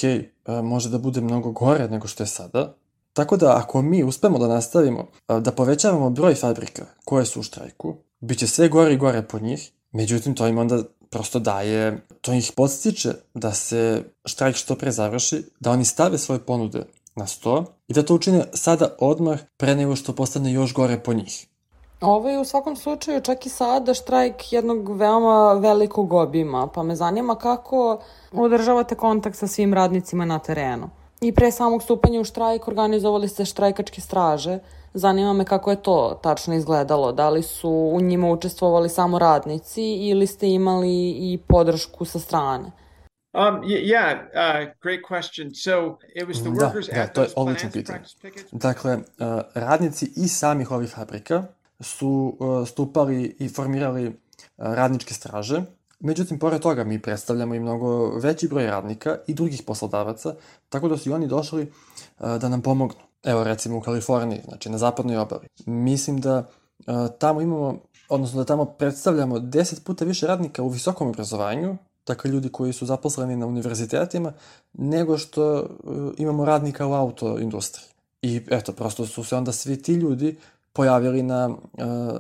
može da bude mnogo gore nego što je sada. Tako da ako mi uspemo da nastavimo da povećavamo broj fabrika koje su u štrajku, bit će sve gore i gore po njih, međutim to im onda prosto daje, to ih podstiče da se štrajk što pre završi, da oni stave svoje ponude na sto i da to učine sada odmah pre nego što postane još gore po njih. Ovo je u svakom slučaju čak i sada štrajk jednog veoma velikog obima, pa me zanima kako održavate kontakt sa svim radnicima na terenu. I pre samog stupanja u štrajk organizovali ste štrajkačke straže. Zanima me kako je to tačno izgledalo. Da li su u njima učestvovali samo radnici ili ste imali i podršku sa strane? Um, y- yeah, uh, great question. So it was the Da, workers da, at to je those odlično plants pitanje. practice pickets? Dakle, uh, radnici iz samih ovih fabrika su uh, stupali i formirali uh, radničke straže. Međutim, pored toga mi predstavljamo i mnogo veći broj radnika i drugih poslodavaca, tako da su i oni došli uh, da nam pomognu. Evo recimo u Kaliforniji, znači na zapadnoj obali. Mislim da uh, tamo imamo, odnosno da tamo predstavljamo deset puta više radnika u visokom obrazovanju, dakle ljudi koji su zaposleni na univerzitetima, nego što uh, imamo radnika u autoindustriji. I eto, prosto su se onda svi ti ljudi pojavili na, uh,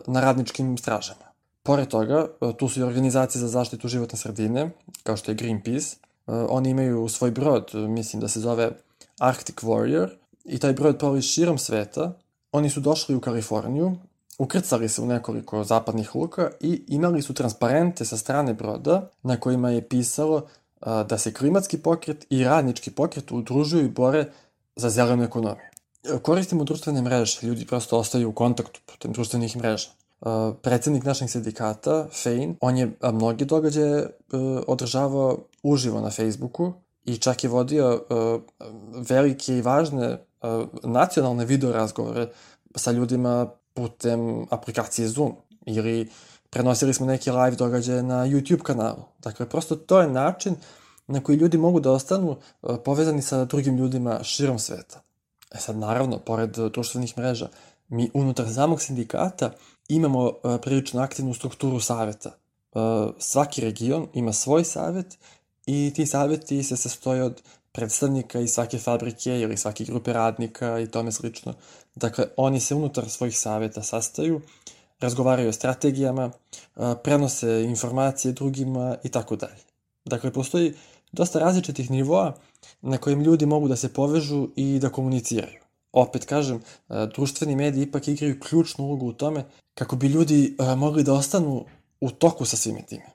na radničkim stražama. Pored toga, uh, tu su i organizacije za zaštitu životne sredine, kao što je Greenpeace. Uh, oni imaju svoj brod, mislim da se zove Arctic Warrior, i taj brod plovi širom sveta. Oni su došli u Kaliforniju, ukrcali se u nekoliko zapadnih luka i imali su transparente sa strane broda na kojima je pisalo a, da se klimatski pokret i radnički pokret udružuju i bore za zelenu ekonomiju. Koristimo društvene mreže, ljudi prosto ostaju u kontaktu putem društvenih mreža. A, predsednik našeg sindikata, Fein, on je a, mnogi događaje a, održavao uživo na Facebooku i čak je vodio a, velike i važne a, nacionalne video razgovore sa ljudima putem aplikacije Zoom ili prenosili smo neke live događaje na YouTube kanalu. Dakle, prosto to je način na koji ljudi mogu da ostanu uh, povezani sa drugim ljudima širom sveta. E sad, naravno, pored uh, društvenih mreža, mi unutar samog sindikata imamo uh, prilično aktivnu strukturu saveta. Uh, svaki region ima svoj savet i ti saveti se sastoje od predstavnika iz svake fabrike ili svake grupe radnika i tome slično. Dakle, oni se unutar svojih saveta sastaju, razgovaraju o strategijama, prenose informacije drugima i tako dalje. Dakle, postoji dosta različitih nivoa na kojim ljudi mogu da se povežu i da komuniciraju. Opet kažem, društveni mediji ipak igraju ključnu ulogu u tome kako bi ljudi mogli da ostanu u toku sa svime time.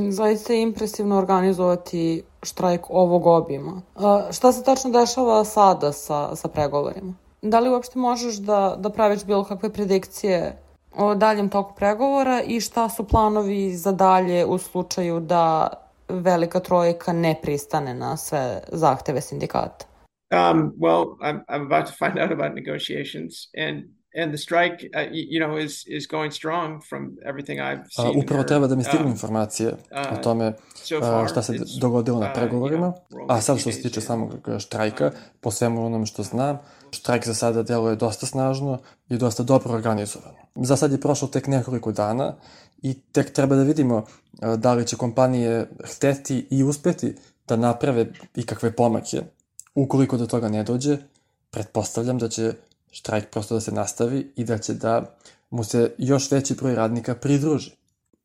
Zaista je impresivno organizovati štrajk ovog obima. A, šta se tačno dešava sada sa, sa pregovorima? Da li uopšte možeš da, da praviš bilo kakve predikcije o daljem toku pregovora i šta su planovi za dalje u slučaju da Velika trojka ne pristane na sve zahteve sindikata? Um, well, I'm, I'm about to find out about negotiations and And the strike, uh, you know, is is going strong from everything I've seen. Uh, upravo treba da mi stignu informacije uh, o tome uh, šta se dogodilo na pregovorima. A sad što se tiče samog štrajka, po svemu onome što znam, štrajk za sada deluje dosta snažno i dosta dobro organizovano. Za sad je prošlo tek nekoliko dana i tek treba da vidimo uh, da li će kompanije hteti i uspeti da naprave ikakve pomake. Ukoliko do toga ne dođe, pretpostavljam da će štrajk prosto da se nastavi i da će da mu se još veći broj radnika pridruži.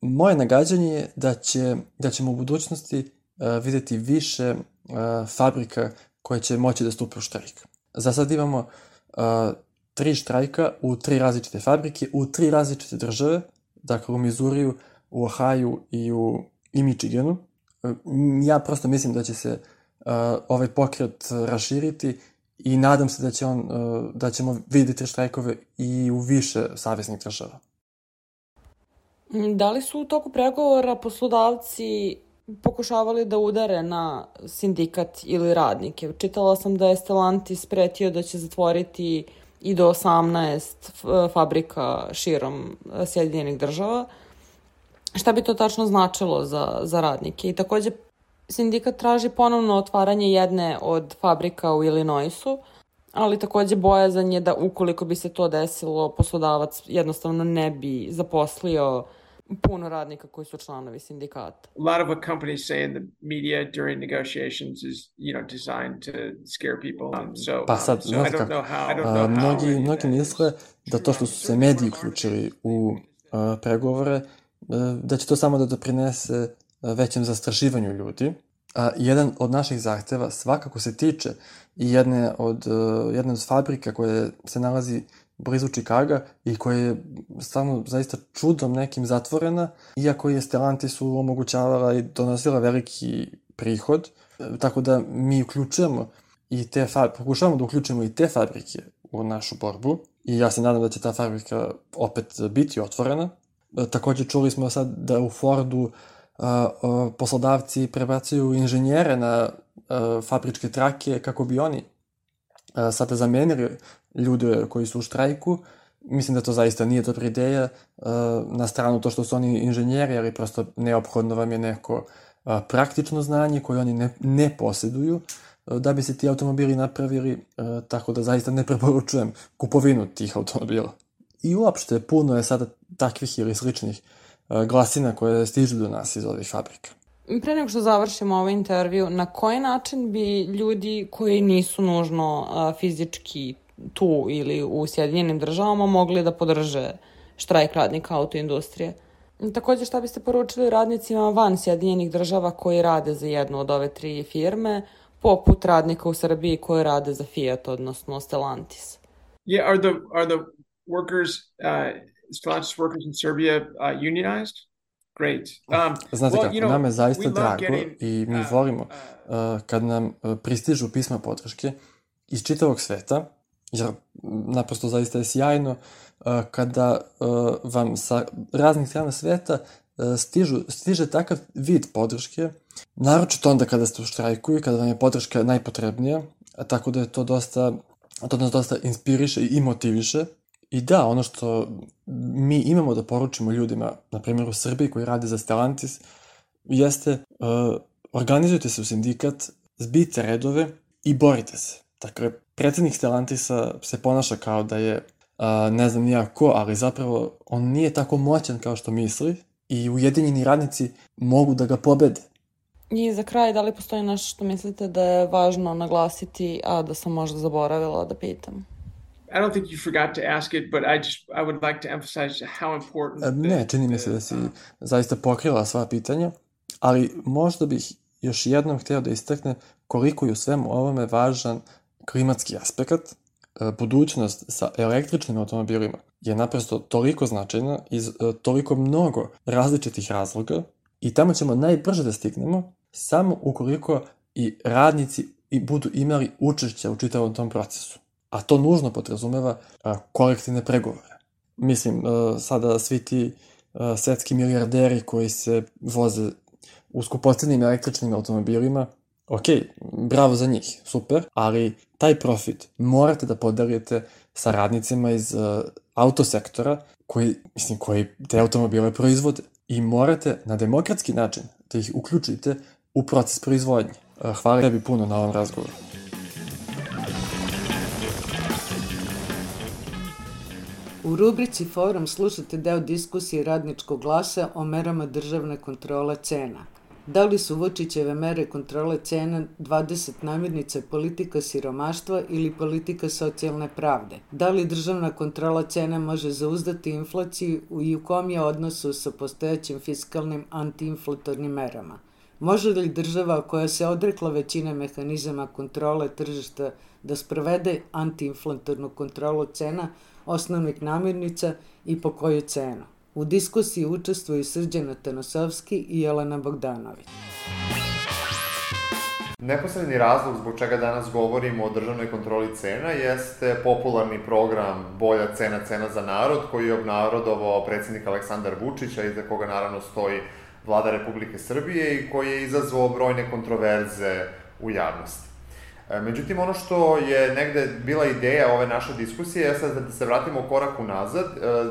Moje nagađanje je da, će, da ćemo u budućnosti uh, videti više uh, fabrika koje će moći da stupe u štrajk. Za sad imamo uh, tri štrajka u tri različite fabrike, u tri različite države, dakle u Mizuriju, u Ohaju i u i Michiganu. Uh, ja prosto mislim da će se uh, ovaj pokret raširiti i nadam se da, će on, da ćemo vidjeti štrajkove i u više saveznih država. Da li su u toku pregovora poslodavci pokušavali da udare na sindikat ili radnike? Čitala sam da je Stellantis pretio da će zatvoriti i do osamnaest fabrika širom Sjedinjenih država. Šta bi to tačno značilo za, za radnike? I takođe sindikat traži ponovno otvaranje jedne od fabrika u Illinoisu, ali takođe bojazan je da ukoliko bi se to desilo, poslodavac jednostavno ne bi zaposlio puno radnika koji su članovi sindikata. A lot of what companies say in the media during negotiations is, you know, designed to scare people. Um, so, pa sad, so I don't know how, I don't know uh, how mnogi, mnogi misle da to što su se mediji uključili u uh, pregovore, uh, da će to samo da doprinese većem zastrašivanju ljudi. A jedan od naših zahteva svakako se tiče i jedne od, uh, jedne od fabrika koje se nalazi blizu Čikaga i koja je stvarno zaista čudom nekim zatvorena, iako je Stellantisu omogućavala i donosila veliki prihod, tako da mi uključujemo i te fabrike, pokušavamo da uključujemo i te fabrike u našu borbu i ja se nadam da će ta fabrika opet biti otvorena. Takođe čuli smo sad da u Fordu poslodavci prebacuju inženjere na fabričke trake kako bi oni sada zamenili ljude koji su u štrajku. Mislim da to zaista nije dobra ideja, na stranu to što su oni inženjeri, ali prosto neophodno vam je neko praktično znanje koje oni ne, ne posjeduju da bi se ti automobili napravili, tako da zaista ne preporučujem kupovinu tih automobila. I uopšte puno je sada takvih ili sličnih glasina koje stižu do nas iz ovih fabrika. Pre nego što završimo ovaj intervju, na koji način bi ljudi koji nisu nužno a, fizički tu ili u Sjedinjenim državama mogli da podrže štrajk radnika autoindustrije? Također, šta biste poručili radnicima van Sjedinjenih država koji rade za jednu od ove tri firme, poput radnika u Srbiji koji rade za Fiat, odnosno Stellantis? Yeah, are the are the workers, uh, Stellantis workers in Serbia uh, unionized? Great. Um, Znate well, kako, you know, nam je zaista drago getting, i mi uh, volimo uh, kad nam uh, pristižu pisma podrške iz čitavog sveta, jer naprosto zaista je sjajno uh, kada uh, vam sa raznih strana sveta uh, stižu, stiže takav vid podrške, naročito onda kada ste u štrajku i kada vam je podrška najpotrebnija, tako da je to dosta, to nas dosta inspiriše i motiviše. I da, ono što mi imamo da poručimo ljudima, na primjer u Srbiji koji rade za Stellantis, jeste uh, organizujte se u sindikat, zbijte redove i borite se. Dakle, predsjednik Stellantisa se ponaša kao da je uh, ne znam nija ko, ali zapravo on nije tako moćan kao što misli i ujedinjeni radnici mogu da ga pobede. I za kraj, da li postoji nešto što mislite da je važno naglasiti, a da sam možda zaboravila da pitam? I don't think you forgot to ask it, but I just I would like to emphasize how important. Ne, čini mi se da si zaista pokrila sva pitanja, ali možda bih još jednom htio da istakne koliko je u svemu ovome važan klimatski aspekt. Budućnost sa električnim automobilima je naprosto toliko značajna iz toliko mnogo različitih razloga i tamo ćemo najbrže da stignemo samo ukoliko i radnici i budu imali učešća u čitavom tom procesu. A to nužno podrazumeva a, kolektivne pregovore. Mislim, a, sada svi ti a, svetski milijarderi koji se voze u skupocenim električnim automobilima, ok, bravo za njih, super, ali taj profit morate da podelite sa radnicima iz a, autosektora koji, mislim, koji te automobile proizvode. I morate na demokratski način da ih uključite u proces proizvodnje. A, hvala tebi puno na ovom razgovoru. U rubrici Forum slušate deo diskusije Radničkog glasa o merama državne kontrole cena. Da li su Vučićeve mere kontrole cena dvadeset namirnica politika siromaštva ili politika socijalne pravde? Da li državna kontrola cena može zauzdati inflaciju i u kom je odnosu sa postojećim fiskalnim antiinflatornim merama? Može li država koja se odrekla većine mehanizama kontrole tržišta da sprovede antiinflatornu kontrolu cena osnovnih namirnica i po koju cenu? U diskusiji učestvuju Srđan Atanosovski i Jelena Bogdanović. Neposredni razlog zbog čega danas govorimo o državnoj kontroli cena jeste popularni program Bolja cena, cena za narod, koji je obnarodovao predsjednik Aleksandar Vučić, a iza koga naravno stoji Vlada Republike Srbije i koji je izazvao brojne kontroverze u javnosti. Međutim, ono što je negde bila ideja ove naše diskusije je sad da se vratimo korak unazad,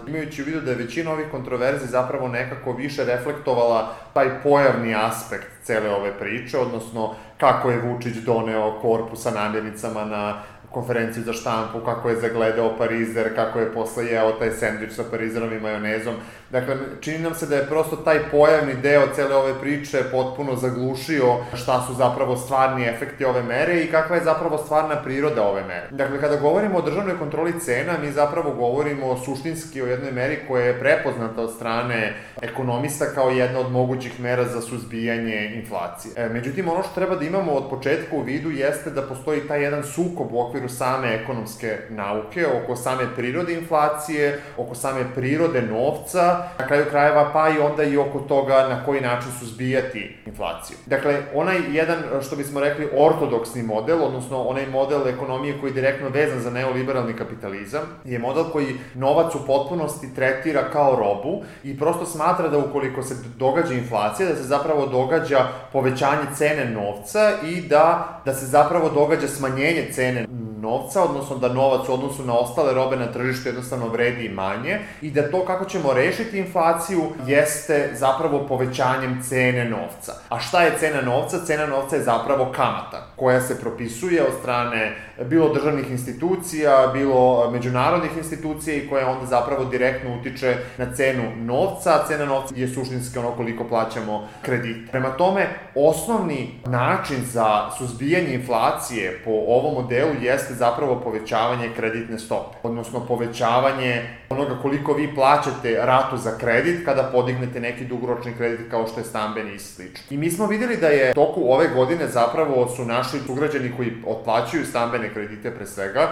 imajući u vidu da je većina ovih kontroverzi zapravo nekako više reflektovala taj pojavni aspekt cele ove priče, odnosno kako je Vučić doneo korpu sa namirnicama na konferenciju za štampu, kako je zagledao parizer, kako je posle jeo taj sendvič sa parizerom i majonezom. Dakle, čini nam se da je prosto taj pojavni deo cele ove priče potpuno zaglušio šta su zapravo stvarni efekti ove mere i kakva je zapravo stvarna priroda ove mere. Dakle, kada govorimo o državnoj kontroli cena, mi zapravo govorimo suštinski o jednoj meri koja je prepoznata od strane ekonomista kao jedna od mogućih mera za suzbijanje inflacije. E, međutim, ono što treba da imamo od početka u vidu jeste da postoji taj jedan sukob u okviru okviru same ekonomske nauke, oko same prirode inflacije, oko same prirode novca, na kraju krajeva pa i onda i oko toga na koji način suzbijati inflaciju. Dakle, onaj jedan, što bismo rekli, ortodoksni model, odnosno onaj model ekonomije koji je direktno vezan za neoliberalni kapitalizam, je model koji novac u potpunosti tretira kao robu i prosto smatra da ukoliko se događa inflacija, da se zapravo događa povećanje cene novca i da, da se zapravo događa smanjenje cene novca, odnosno da novac u odnosu na ostale robe na tržištu jednostavno vredi manje i da to kako ćemo rešiti inflaciju jeste zapravo povećanjem cene novca. A šta je cena novca? Cena novca je zapravo kamata koja se propisuje od strane bilo državnih institucija, bilo međunarodnih institucija i koja onda zapravo direktno utiče na cenu novca, a cena novca je suštinski ono koliko plaćamo kredit. Prema tome, osnovni način za suzbijanje inflacije po ovom modelu jeste zapravo povećavanje kreditne stope, odnosno povećavanje onoga koliko vi plaćate ratu za kredit kada podignete neki dugoročni kredit kao što je stambeni i slično. I mi smo videli da je toku ove godine zapravo su naši sugrađani koji otplaćuju stambene kredite pre svega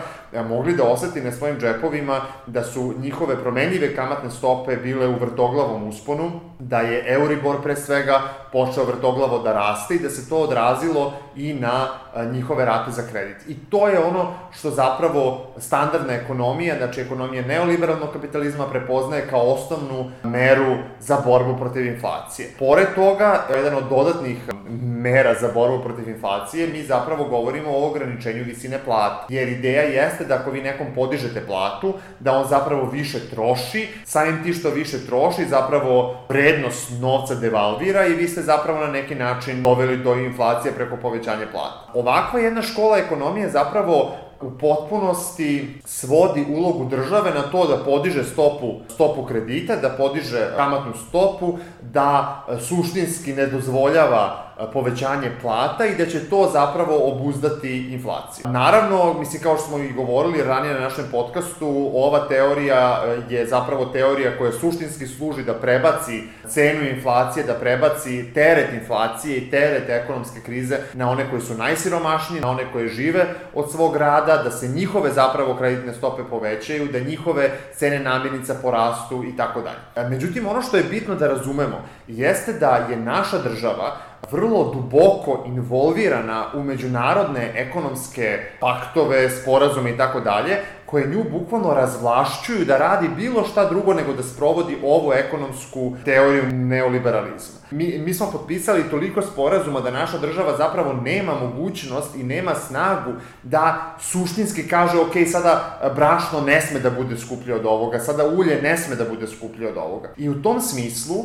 mogli da oseti na svojim džepovima da su njihove promenljive kamatne stope bile u vrtoglavom usponu, da je Euribor pre svega počeo vrtoglavo da raste i da se to odrazilo i na njihove rate za kredit. I to je ono što zapravo standardna ekonomija, znači ekonomija neoliberalnog kapitalizma prepoznaje kao osnovnu meru za borbu protiv inflacije. Pored toga, jedan od dodatnih mera za borbu protiv inflacije, mi zapravo govorimo o ograničenju visine plata. Jer ideja jeste da ako vi nekom podižete platu, da on zapravo više troši, samim ti što više troši, zapravo vrednost novca devalvira i vi ste zapravo na neki način doveli do inflacije preko povećanja plata. Ovakva jedna škola ekonomije zapravo u potpunosti svodi ulogu države na to da podiže stopu, stopu kredita, da podiže kamatnu stopu, da suštinski ne dozvoljava povećanje plata i da će to zapravo obuzdati inflaciju. Naravno, mislim, kao što smo i govorili ranije na našem podcastu, ova teorija je zapravo teorija koja suštinski služi da prebaci cenu inflacije, da prebaci teret inflacije i teret ekonomske krize na one koji su najsiromašniji, na one koje žive od svog rada, da se njihove zapravo kreditne stope povećaju, da njihove cene namirnica porastu i tako dalje. Međutim, ono što je bitno da razumemo jeste da je naša država vrlo duboko involvirana u međunarodne ekonomske paktove, sporazume i tako dalje, koje nju bukvalno razvlašćuju da radi bilo šta drugo nego da sprovodi ovu ekonomsku teoriju neoliberalizma. Mi, mi smo potpisali toliko sporazuma da naša država zapravo nema mogućnost i nema snagu da suštinski kaže ok, sada brašno ne sme da bude skuplje od ovoga, sada ulje ne sme da bude skuplje od ovoga. I u tom smislu,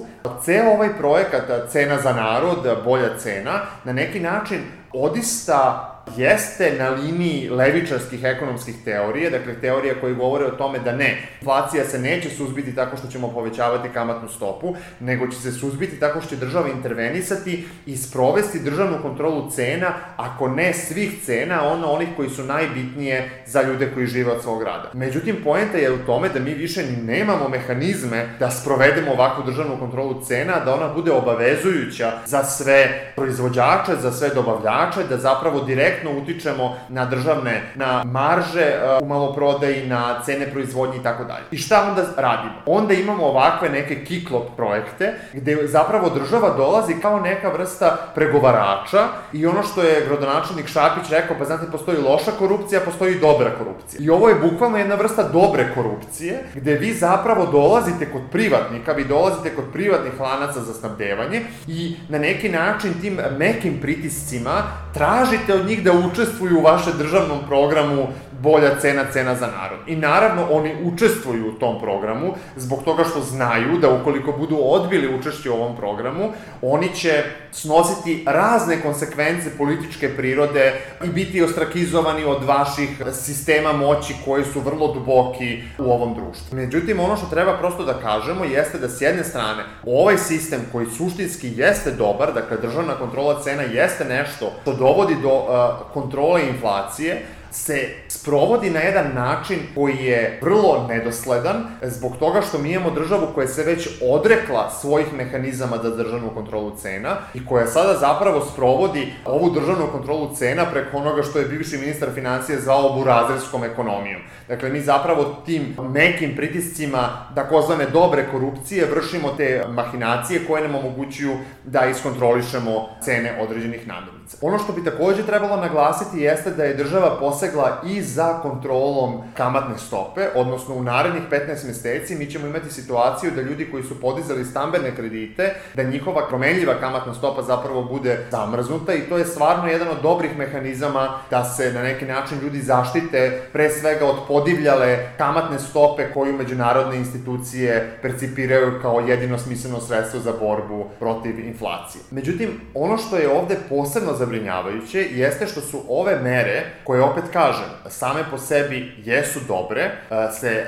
ceo ovaj projekat Cena za narod, bolja cena, na neki način odista jeste na liniji levičarskih ekonomskih teorije, dakle teorija koje govore o tome da ne, inflacija se neće suzbiti tako što ćemo povećavati kamatnu stopu, nego će se suzbiti tako što će država intervenisati i sprovesti državnu kontrolu cena, ako ne svih cena, ono onih koji su najbitnije za ljude koji žive od svog rada. Međutim, poenta je u tome da mi više ni nemamo mehanizme da sprovedemo ovakvu državnu kontrolu cena, da ona bude obavezujuća za sve proizvođače, za sve dobavljače, da zapravo direktno utičemo na državne, na marže u maloprodaji, na cene proizvodnje i tako dalje. I šta onda radimo? Onda imamo ovakve neke kiklop projekte gde zapravo država dolazi kao neka vrsta pregovarača i ono što je gradonačelnik Šapić rekao, pa znate, postoji loša korupcija, postoji dobra korupcija. I ovo je bukvalno jedna vrsta dobre korupcije gde vi zapravo dolazite kod privatnika, vi dolazite kod privatnih lanaca za snabdevanje i na neki način tim mekim pritiscima tražite od njih da učestvuju u vašem državnom programu bolja cena, cena za narod. I naravno, oni učestvuju u tom programu zbog toga što znaju da ukoliko budu odbili učešće u ovom programu, oni će snositi razne konsekvence političke prirode i biti ostrakizovani od vaših sistema moći koji su vrlo duboki u ovom društvu. Međutim, ono što treba prosto da kažemo jeste da s jedne strane ovaj sistem koji suštinski jeste dobar, dakle državna kontrola cena jeste nešto što dovodi do uh, kontrole inflacije, se sprovodi na jedan način koji je vrlo nedosledan, zbog toga što mi imamo državu koja se već odrekla svojih mehanizama za državnu kontrolu cena i koja sada zapravo sprovodi ovu državnu kontrolu cena preko onoga što je bivši ministar financija zvao burazerskom ekonomijom. Dakle, mi zapravo tim nekim pritiscima takozvane dobre korupcije vršimo te mahinacije koje nam omogućuju da iskontrolišemo cene određenih namirnica. Ono što bi takođe trebalo naglasiti jeste da je država posegla i za kontrolom kamatne stope, odnosno u narednih petnaest meseci mi ćemo imati situaciju da ljudi koji su podizali stambene kredite, da njihova promenljiva kamatna stopa zapravo bude zamrznuta i to je stvarno jedan od dobrih mehanizama da se na neki način ljudi zaštite pre svega od podivljale kamatne stope koju međunarodne institucije percipiraju kao jedino smisleno sredstvo za borbu protiv inflacije. Međutim, ono što je ovde posebno zabrinjavajuće jeste što su ove mere, koje opet kažem, same po sebi jesu dobre, se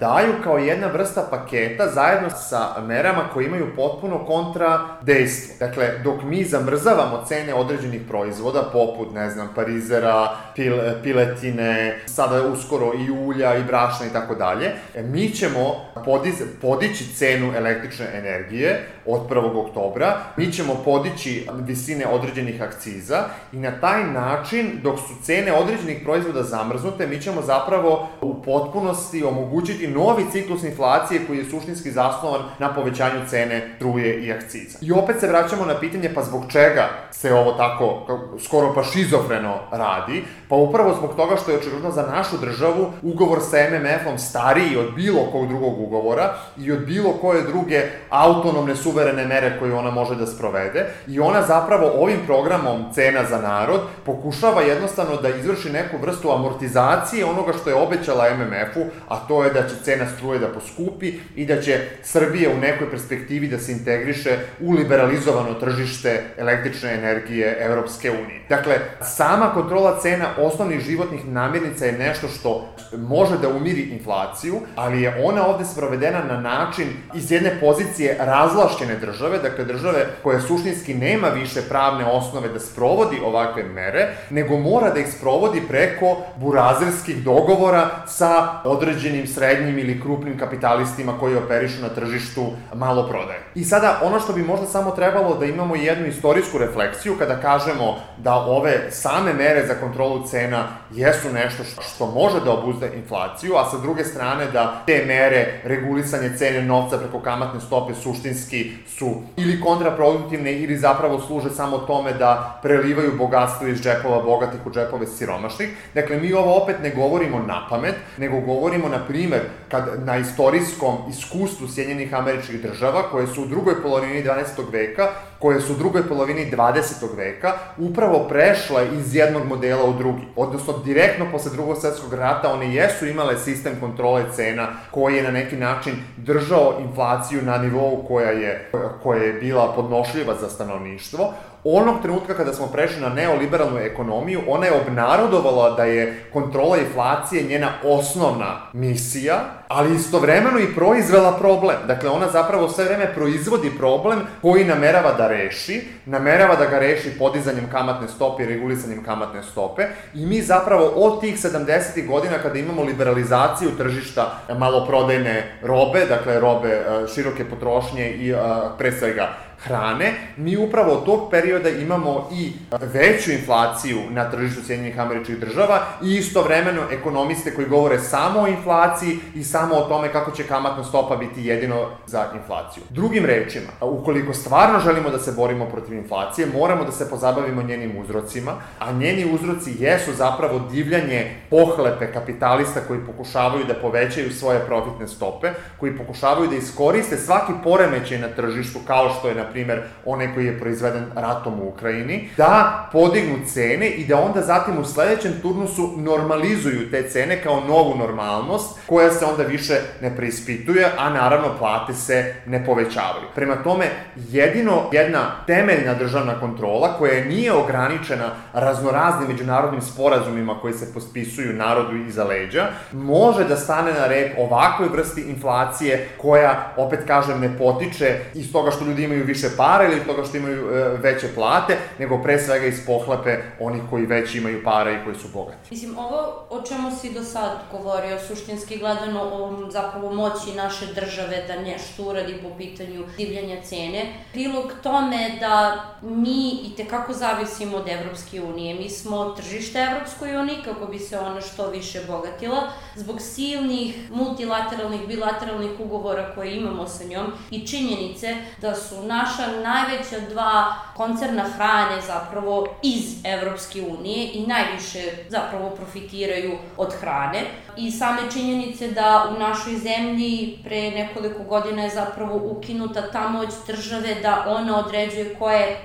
daju kao jedna vrsta paketa zajedno sa merama koje imaju potpuno kontra dejstvo. Dakle, dok mi zamrzavamo cene određenih proizvoda, poput, ne znam, parizera, pil, piletine, sada uskoro i ulja i brašna i tako dalje, mi ćemo podiz, podići cenu električne energije od prvog oktobra, mi ćemo podići visine određenih akciza i na taj način, dok su cene određenih proizvoda zamrznute, mi ćemo zapravo u potpunosti omogućiti novi ciklus inflacije koji je suštinski zasnovan na povećanju cene struje i akciza. I opet se vraćamo na pitanje pa zbog čega se ovo tako skoro pa šizofreno radi, pa upravo zbog toga što je očigledno za našu državu ugovor sa em em efom stariji od bilo kog drugog ugovora i od bilo koje druge autonomne suverene mere koje ona može da sprovede i ona zapravo ovim programom Cena za narod pokušava jednostavno da izvrši neku vrstu amortizacije onoga što je obećala em em efu, a to je da će cena struje da poskupi i da će Srbija u nekoj perspektivi da se integriše u liberalizovano tržište električne energije Evropske unije. Dakle, sama kontrola cena osnovnih životnih namirnica je nešto što može da umiri inflaciju, ali je ona ovde sprovedena na način iz jedne pozicije razvlašćene države, dakle države koja suštinski nema više pravne osnove da sprovodi ovakve mere, nego mora da ih sprovodi preko burazerskih dogovora sa određenim srednjim ili krupnim kapitalistima koji operišu na tržištu maloprodaje. I sada, ono što bi možda samo trebalo da imamo jednu istorijsku refleksiju kada kažemo da ove same mere za kontrolu cena jesu nešto što može da obuzda inflaciju, a sa druge strane da te mere regulisanje cene novca preko kamatne stope suštinski su ili kontraproduktivne ili zapravo služe samo tome da prelivaju bogatstvo iz džepova bogatih u džepove siromašnih. Dakle, mi ovo opet ne govorimo na pamet, nego govorimo, na primer, kad na istorijskom iskustvu Sjedinjenih Američkih Država, koje su u drugoj polovini dvanaestog veka, koje su u drugoj polovini dvadesetog veka, upravo prešle iz jednog modela u drugi. Odnosno, direktno posle drugog svetskog rata one jesu imale sistem kontrole cena koji je na neki način držao inflaciju na nivou koja je, koja je bila podnošljiva za stanovništvo. Onog trenutka kada smo prešli na neoliberalnu ekonomiju, ona je obnarodovala da je kontrola inflacije njena osnovna misija, ali istovremeno i proizvela problem. Dakle, ona zapravo sve vreme proizvodi problem koji namerava da reši, namerava da ga reši podizanjem kamatne stope i regulisanjem kamatne stope i mi zapravo od tih sedamdesetih godina kada imamo liberalizaciju tržišta maloprodajne robe, dakle robe široke potrošnje i pre svega hrane, mi upravo od tog perioda imamo i veću inflaciju na tržištu Sjedinjenih Američkih Država i istovremeno ekonomiste koji govore samo o inflaciji i samo o tome kako će kamatna stopa biti jedino za inflaciju. Drugim rečima, ukoliko stvarno želimo da se borimo protiv inflacije, moramo da se pozabavimo njenim uzrocima, a njeni uzroci jesu zapravo divljanje pohlepe kapitalista koji pokušavaju da povećaju svoje profitne stope, koji pokušavaju da iskoriste svaki poremećaj na tržištu, kao što je, na primer, onaj koji je proizveden ratom u Ukrajini, da podignu cene i da onda zatim u sledećem turnusu normalizuju te cene kao novu normalnost, koja se onda više ne preispituje, a naravno plate se ne povećavaju. Prema tome, jedino jedna temeljna državna kontrola koja nije ograničena raznoraznim međunarodnim sporazumima koji se potpisuju narodu iza leđa, može da stane na rep ovakvoj vrsti inflacije koja, opet kažem, ne potiče iz toga što ljudi imaju više para ili iz toga što imaju e, veće plate, nego pre svega iz pohlepe onih koji već imaju para i koji su bogati. Mislim, ovo o čemu si do sad govorio, suštinski gledano o zapravo moći naše države da nešto uradi po pitanju divljanja cene, prilog tome da mi i tekako zavisimo od Evropske unije. Mi smo tržište Evropskoj uniji kako bi se ona što više bogatila, zbog silnih multilateralnih, bilateralnih ugovora koje imamo sa njom i činjenice da su naša najveća dva koncerna hrane zapravo iz Evropske unije i najviše zapravo profitiraju od hrane. I same činjenice da u našoj zemlji pre nekoliko godina je zapravo ukinuta ta moć države da ona određuje koja je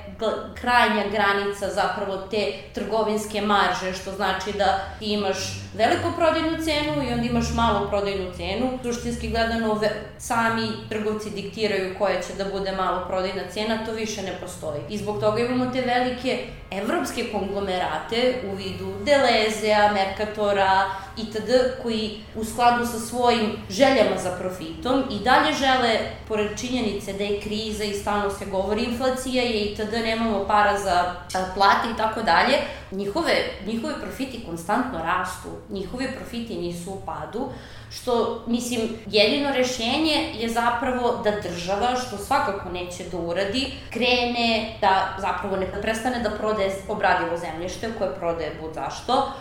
krajnja granica zapravo te trgovinske marže, što znači da ti imaš veliku prodajnu cenu i onda imaš malu prodajnu cenu. Suštinski gledano, sami trgovci diktiraju koja će da bude malo prodajna cena, to više ne postoji. I zbog toga imamo te velike evropske konglomerate u vidu Delezea, Mercatora itd. Koji u skladu sa svojim željama za profitom i dalje žele, pored činjenice da je kriza i stalno se govori inflacija je itd. Nemamo para za plate i tako dalje, njihove, njihove profiti konstantno rastu, njihovi profiti nisu u padu, što, mislim, jedino rešenje je zapravo da država, što svakako neće da uradi, krene da zapravo ne prestane da prodaje obradivo zemljište koje prodaje bud zašto,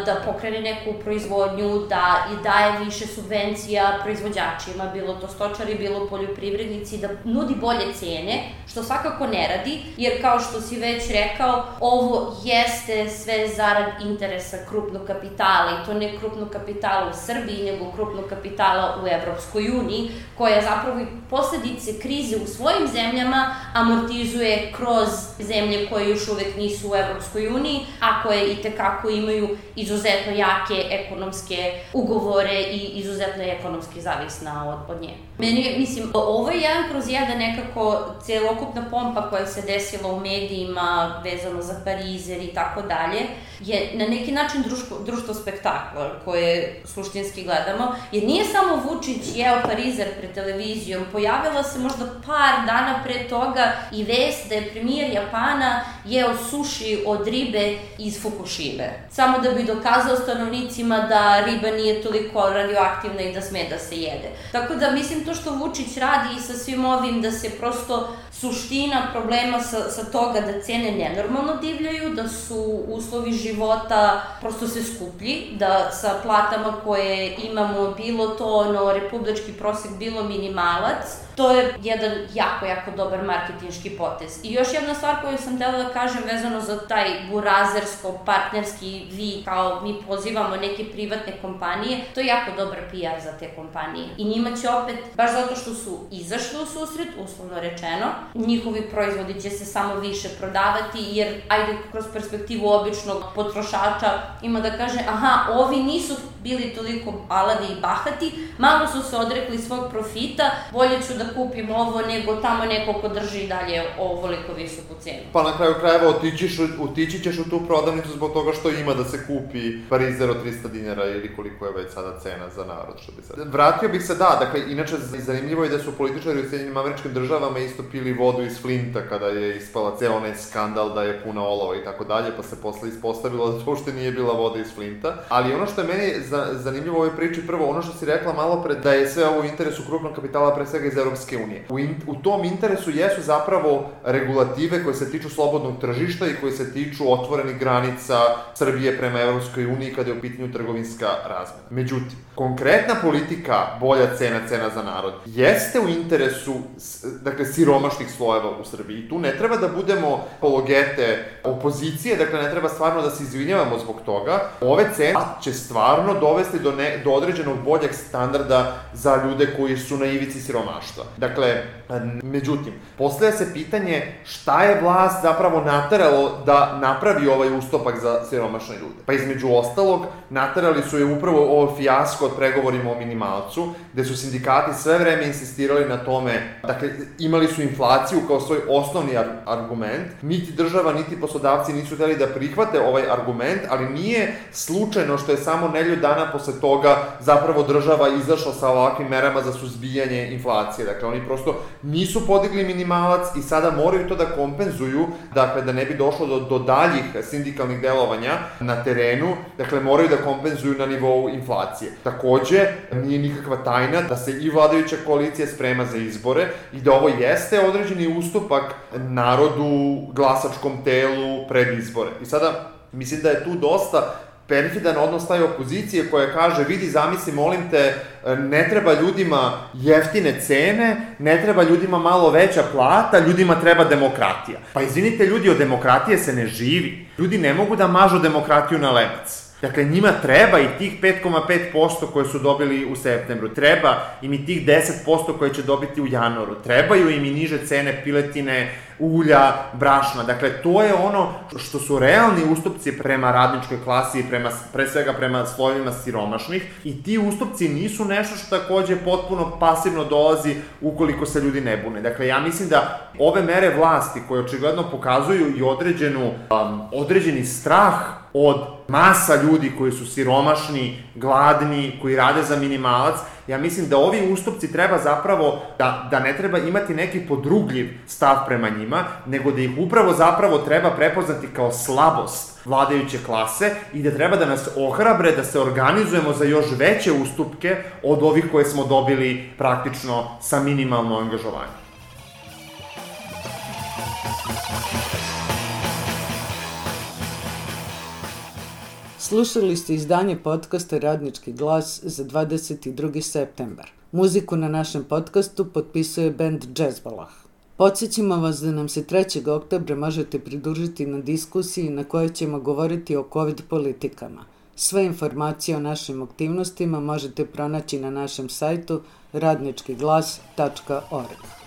da pokrene neku proizvodnju, da i daje više subvencija proizvođačima, bilo to stočari, bilo poljoprivrednici, da nudi bolje cene, što svakako ne radi, jer kao što si već rekao, ovo jeste sve zarad interesa krupnog kapitala i to ne krupnog kapitala u Srbiji, nego krupnog kapitala u Evropskoj uniji, koja zapravo posledice krize u svojim zemljama amortizuje kroz zemlje koje još uvek nisu u Evropskoj uniji, a koje i tekako imaju izuzetno jake ekonomske ugovore i izuzetno je ekonomski zavisna od, od nje. Meni, mislim, ovo je jedan kroz jedan nekako celokupna pompa koja se desila u medijima vezano za Parizer i tako dalje, je na neki način društvo, društvo spektakla koje suštinski gledamo, jer nije samo Vučić jeo Parizer pred televizijom, pojavila se možda par dana pre toga i vest da je premijer Japana jeo suši od ribe iz Fukushime, samo da bi dokazao stanovnicima da riba nije toliko radioaktivna i da sme da se jede. Tako da mislim to što Vučić radi i sa svim ovim da se prosto suština problema sa, sa toga da cene nenormalno divljaju, da su uslovi života prosto sve skuplji, da sa platama koje imamo bilo to ono republički prosek, bilo minimalac, to je jedan jako, jako dobar marketinški potez. I još jedna stvar koju sam htela da kažem vezano za taj burazersko-partnerski vi, kao mi pozivamo neke privatne kompanije, to je jako dobar P R za te kompanije. I njima će opet, baš zato što su izašli u susret, uslovno rečeno, njihovi proizvodi će se samo više prodavati, jer ajde kroz perspektivu običnog potrošača ima da kaže, aha, ovi nisu bili toliko alavi i bahati, malo su se odrekli svog profita, bolje ću da kupim ovo nego tamo neko ko drži dalje ovoliko visoku cenu. Pa na kraju krajeva otićiš, otići ćeš u tu prodavnicu zbog toga što ima da se kupi Parizer od trista dinara ili koliko je već sada cena za narod, što bi sad. Vratio bih se, da, dakle, inače zanimljivo je da su političari u Sjedinjenim Američkim Državama isto pili vodu iz Flinta kada je ispala ceo onaj skandal da je puna olova i tako dalje, pa se posle ispostavilo da to uopšte nije bila voda iz Flinta. Ali ono što je meni zanimljivo u ovoj priči, prvo ono što si rekla malo pre, da je sve ovo u interesu krupnog kapitala, pre svega iz Evropske unije. U, in, u tom interesu jesu zapravo regulative koje se tiču slobodnog tržišta i koje se tiču otvorenih granica Srbije prema Evropskoj uniji kada je u pitanju trgovinska razmena. Međutim, konkretna politika bolja cena, cena za narod, jeste u interesu, dakle, siromašnih slojeva u Srbiji. I tu ne treba da budemo apologete opozicije, dakle, ne treba stvarno da se izvinjavamo zbog toga. Ove cene će stvarno dovesti do, ne, do određenog boljeg standarda za ljude koji su na ivici siromaštva. radništva. Dakle, međutim, postavlja se pitanje šta je vlast zapravo nateralo da napravi ovaj ustupak za siromašne ljude. Pa između ostalog, naterali su je upravo ovo fijasko od pregovorima o minimalcu, gde su sindikati sve vreme insistirali na tome, dakle, imali su inflaciju kao svoj osnovni ar argument, niti država, niti poslodavci nisu hteli da prihvate ovaj argument, ali nije slučajno što je samo nedelju dana posle toga zapravo država izašla sa ovakvim merama za suzbijanje inflacije. Dakle, oni prosto nisu podigli minimalac i sada moraju to da kompenzuju, dakle, da ne bi došlo do, do daljih sindikalnih delovanja na terenu, dakle, moraju da kompenzuju na nivou inflacije. Takođe, nije nikakva tajna da se i vladajuća koalicija sprema za izbore i da ovo jeste određeni ustupak narodu, glasačkom telu pred izbore. I sada, mislim da je tu dosta perfidan odnos taj opozicije koja kaže, vidi, zamisli, molim te, ne treba ljudima jeftine cene, ne treba ljudima malo veća plata, ljudima treba demokratija. Pa izvinite ljudi, od demokratije se ne živi. Ljudi ne mogu da mažu demokratiju na lebac. Dakle, njima treba i tih pet zarez pet posto koje su dobili u septembru, treba im i tih deset posto koje će dobiti u januaru, trebaju im i niže cene piletine, ulja, brašna. Dakle, to je ono što su realni ustupci prema radničkoj klasi i prema, pre svega prema slojevima siromašnih i ti ustupci nisu nešto što takođe potpuno pasivno dolazi ukoliko se ljudi ne bune. Dakle, ja mislim da ove mere vlasti koje očigledno pokazuju i određenu, um, određeni strah od masa ljudi koji su siromašni, gladni, koji rade za minimalac, ja mislim da ovi ustupci treba zapravo, da, da ne treba imati neki podrugljiv stav prema njima, nego da ih upravo zapravo treba prepoznati kao slabost vladajuće klase i da treba da nas ohrabre da se organizujemo za još veće ustupke od ovih koje smo dobili praktično sa minimalno angažovanje. Slušali ste izdanje podcasta Radnički glas za dvadeset drugi septembar. Muziku na našem podcastu potpisuje bend Džezbalah. Podsjećamo vas da nam se trećeg oktobra možete pridružiti na diskusiji na kojoj ćemo govoriti o COVID politikama. Sve informacije o našim aktivnostima možete pronaći na našem sajtu radnički glas tačka org.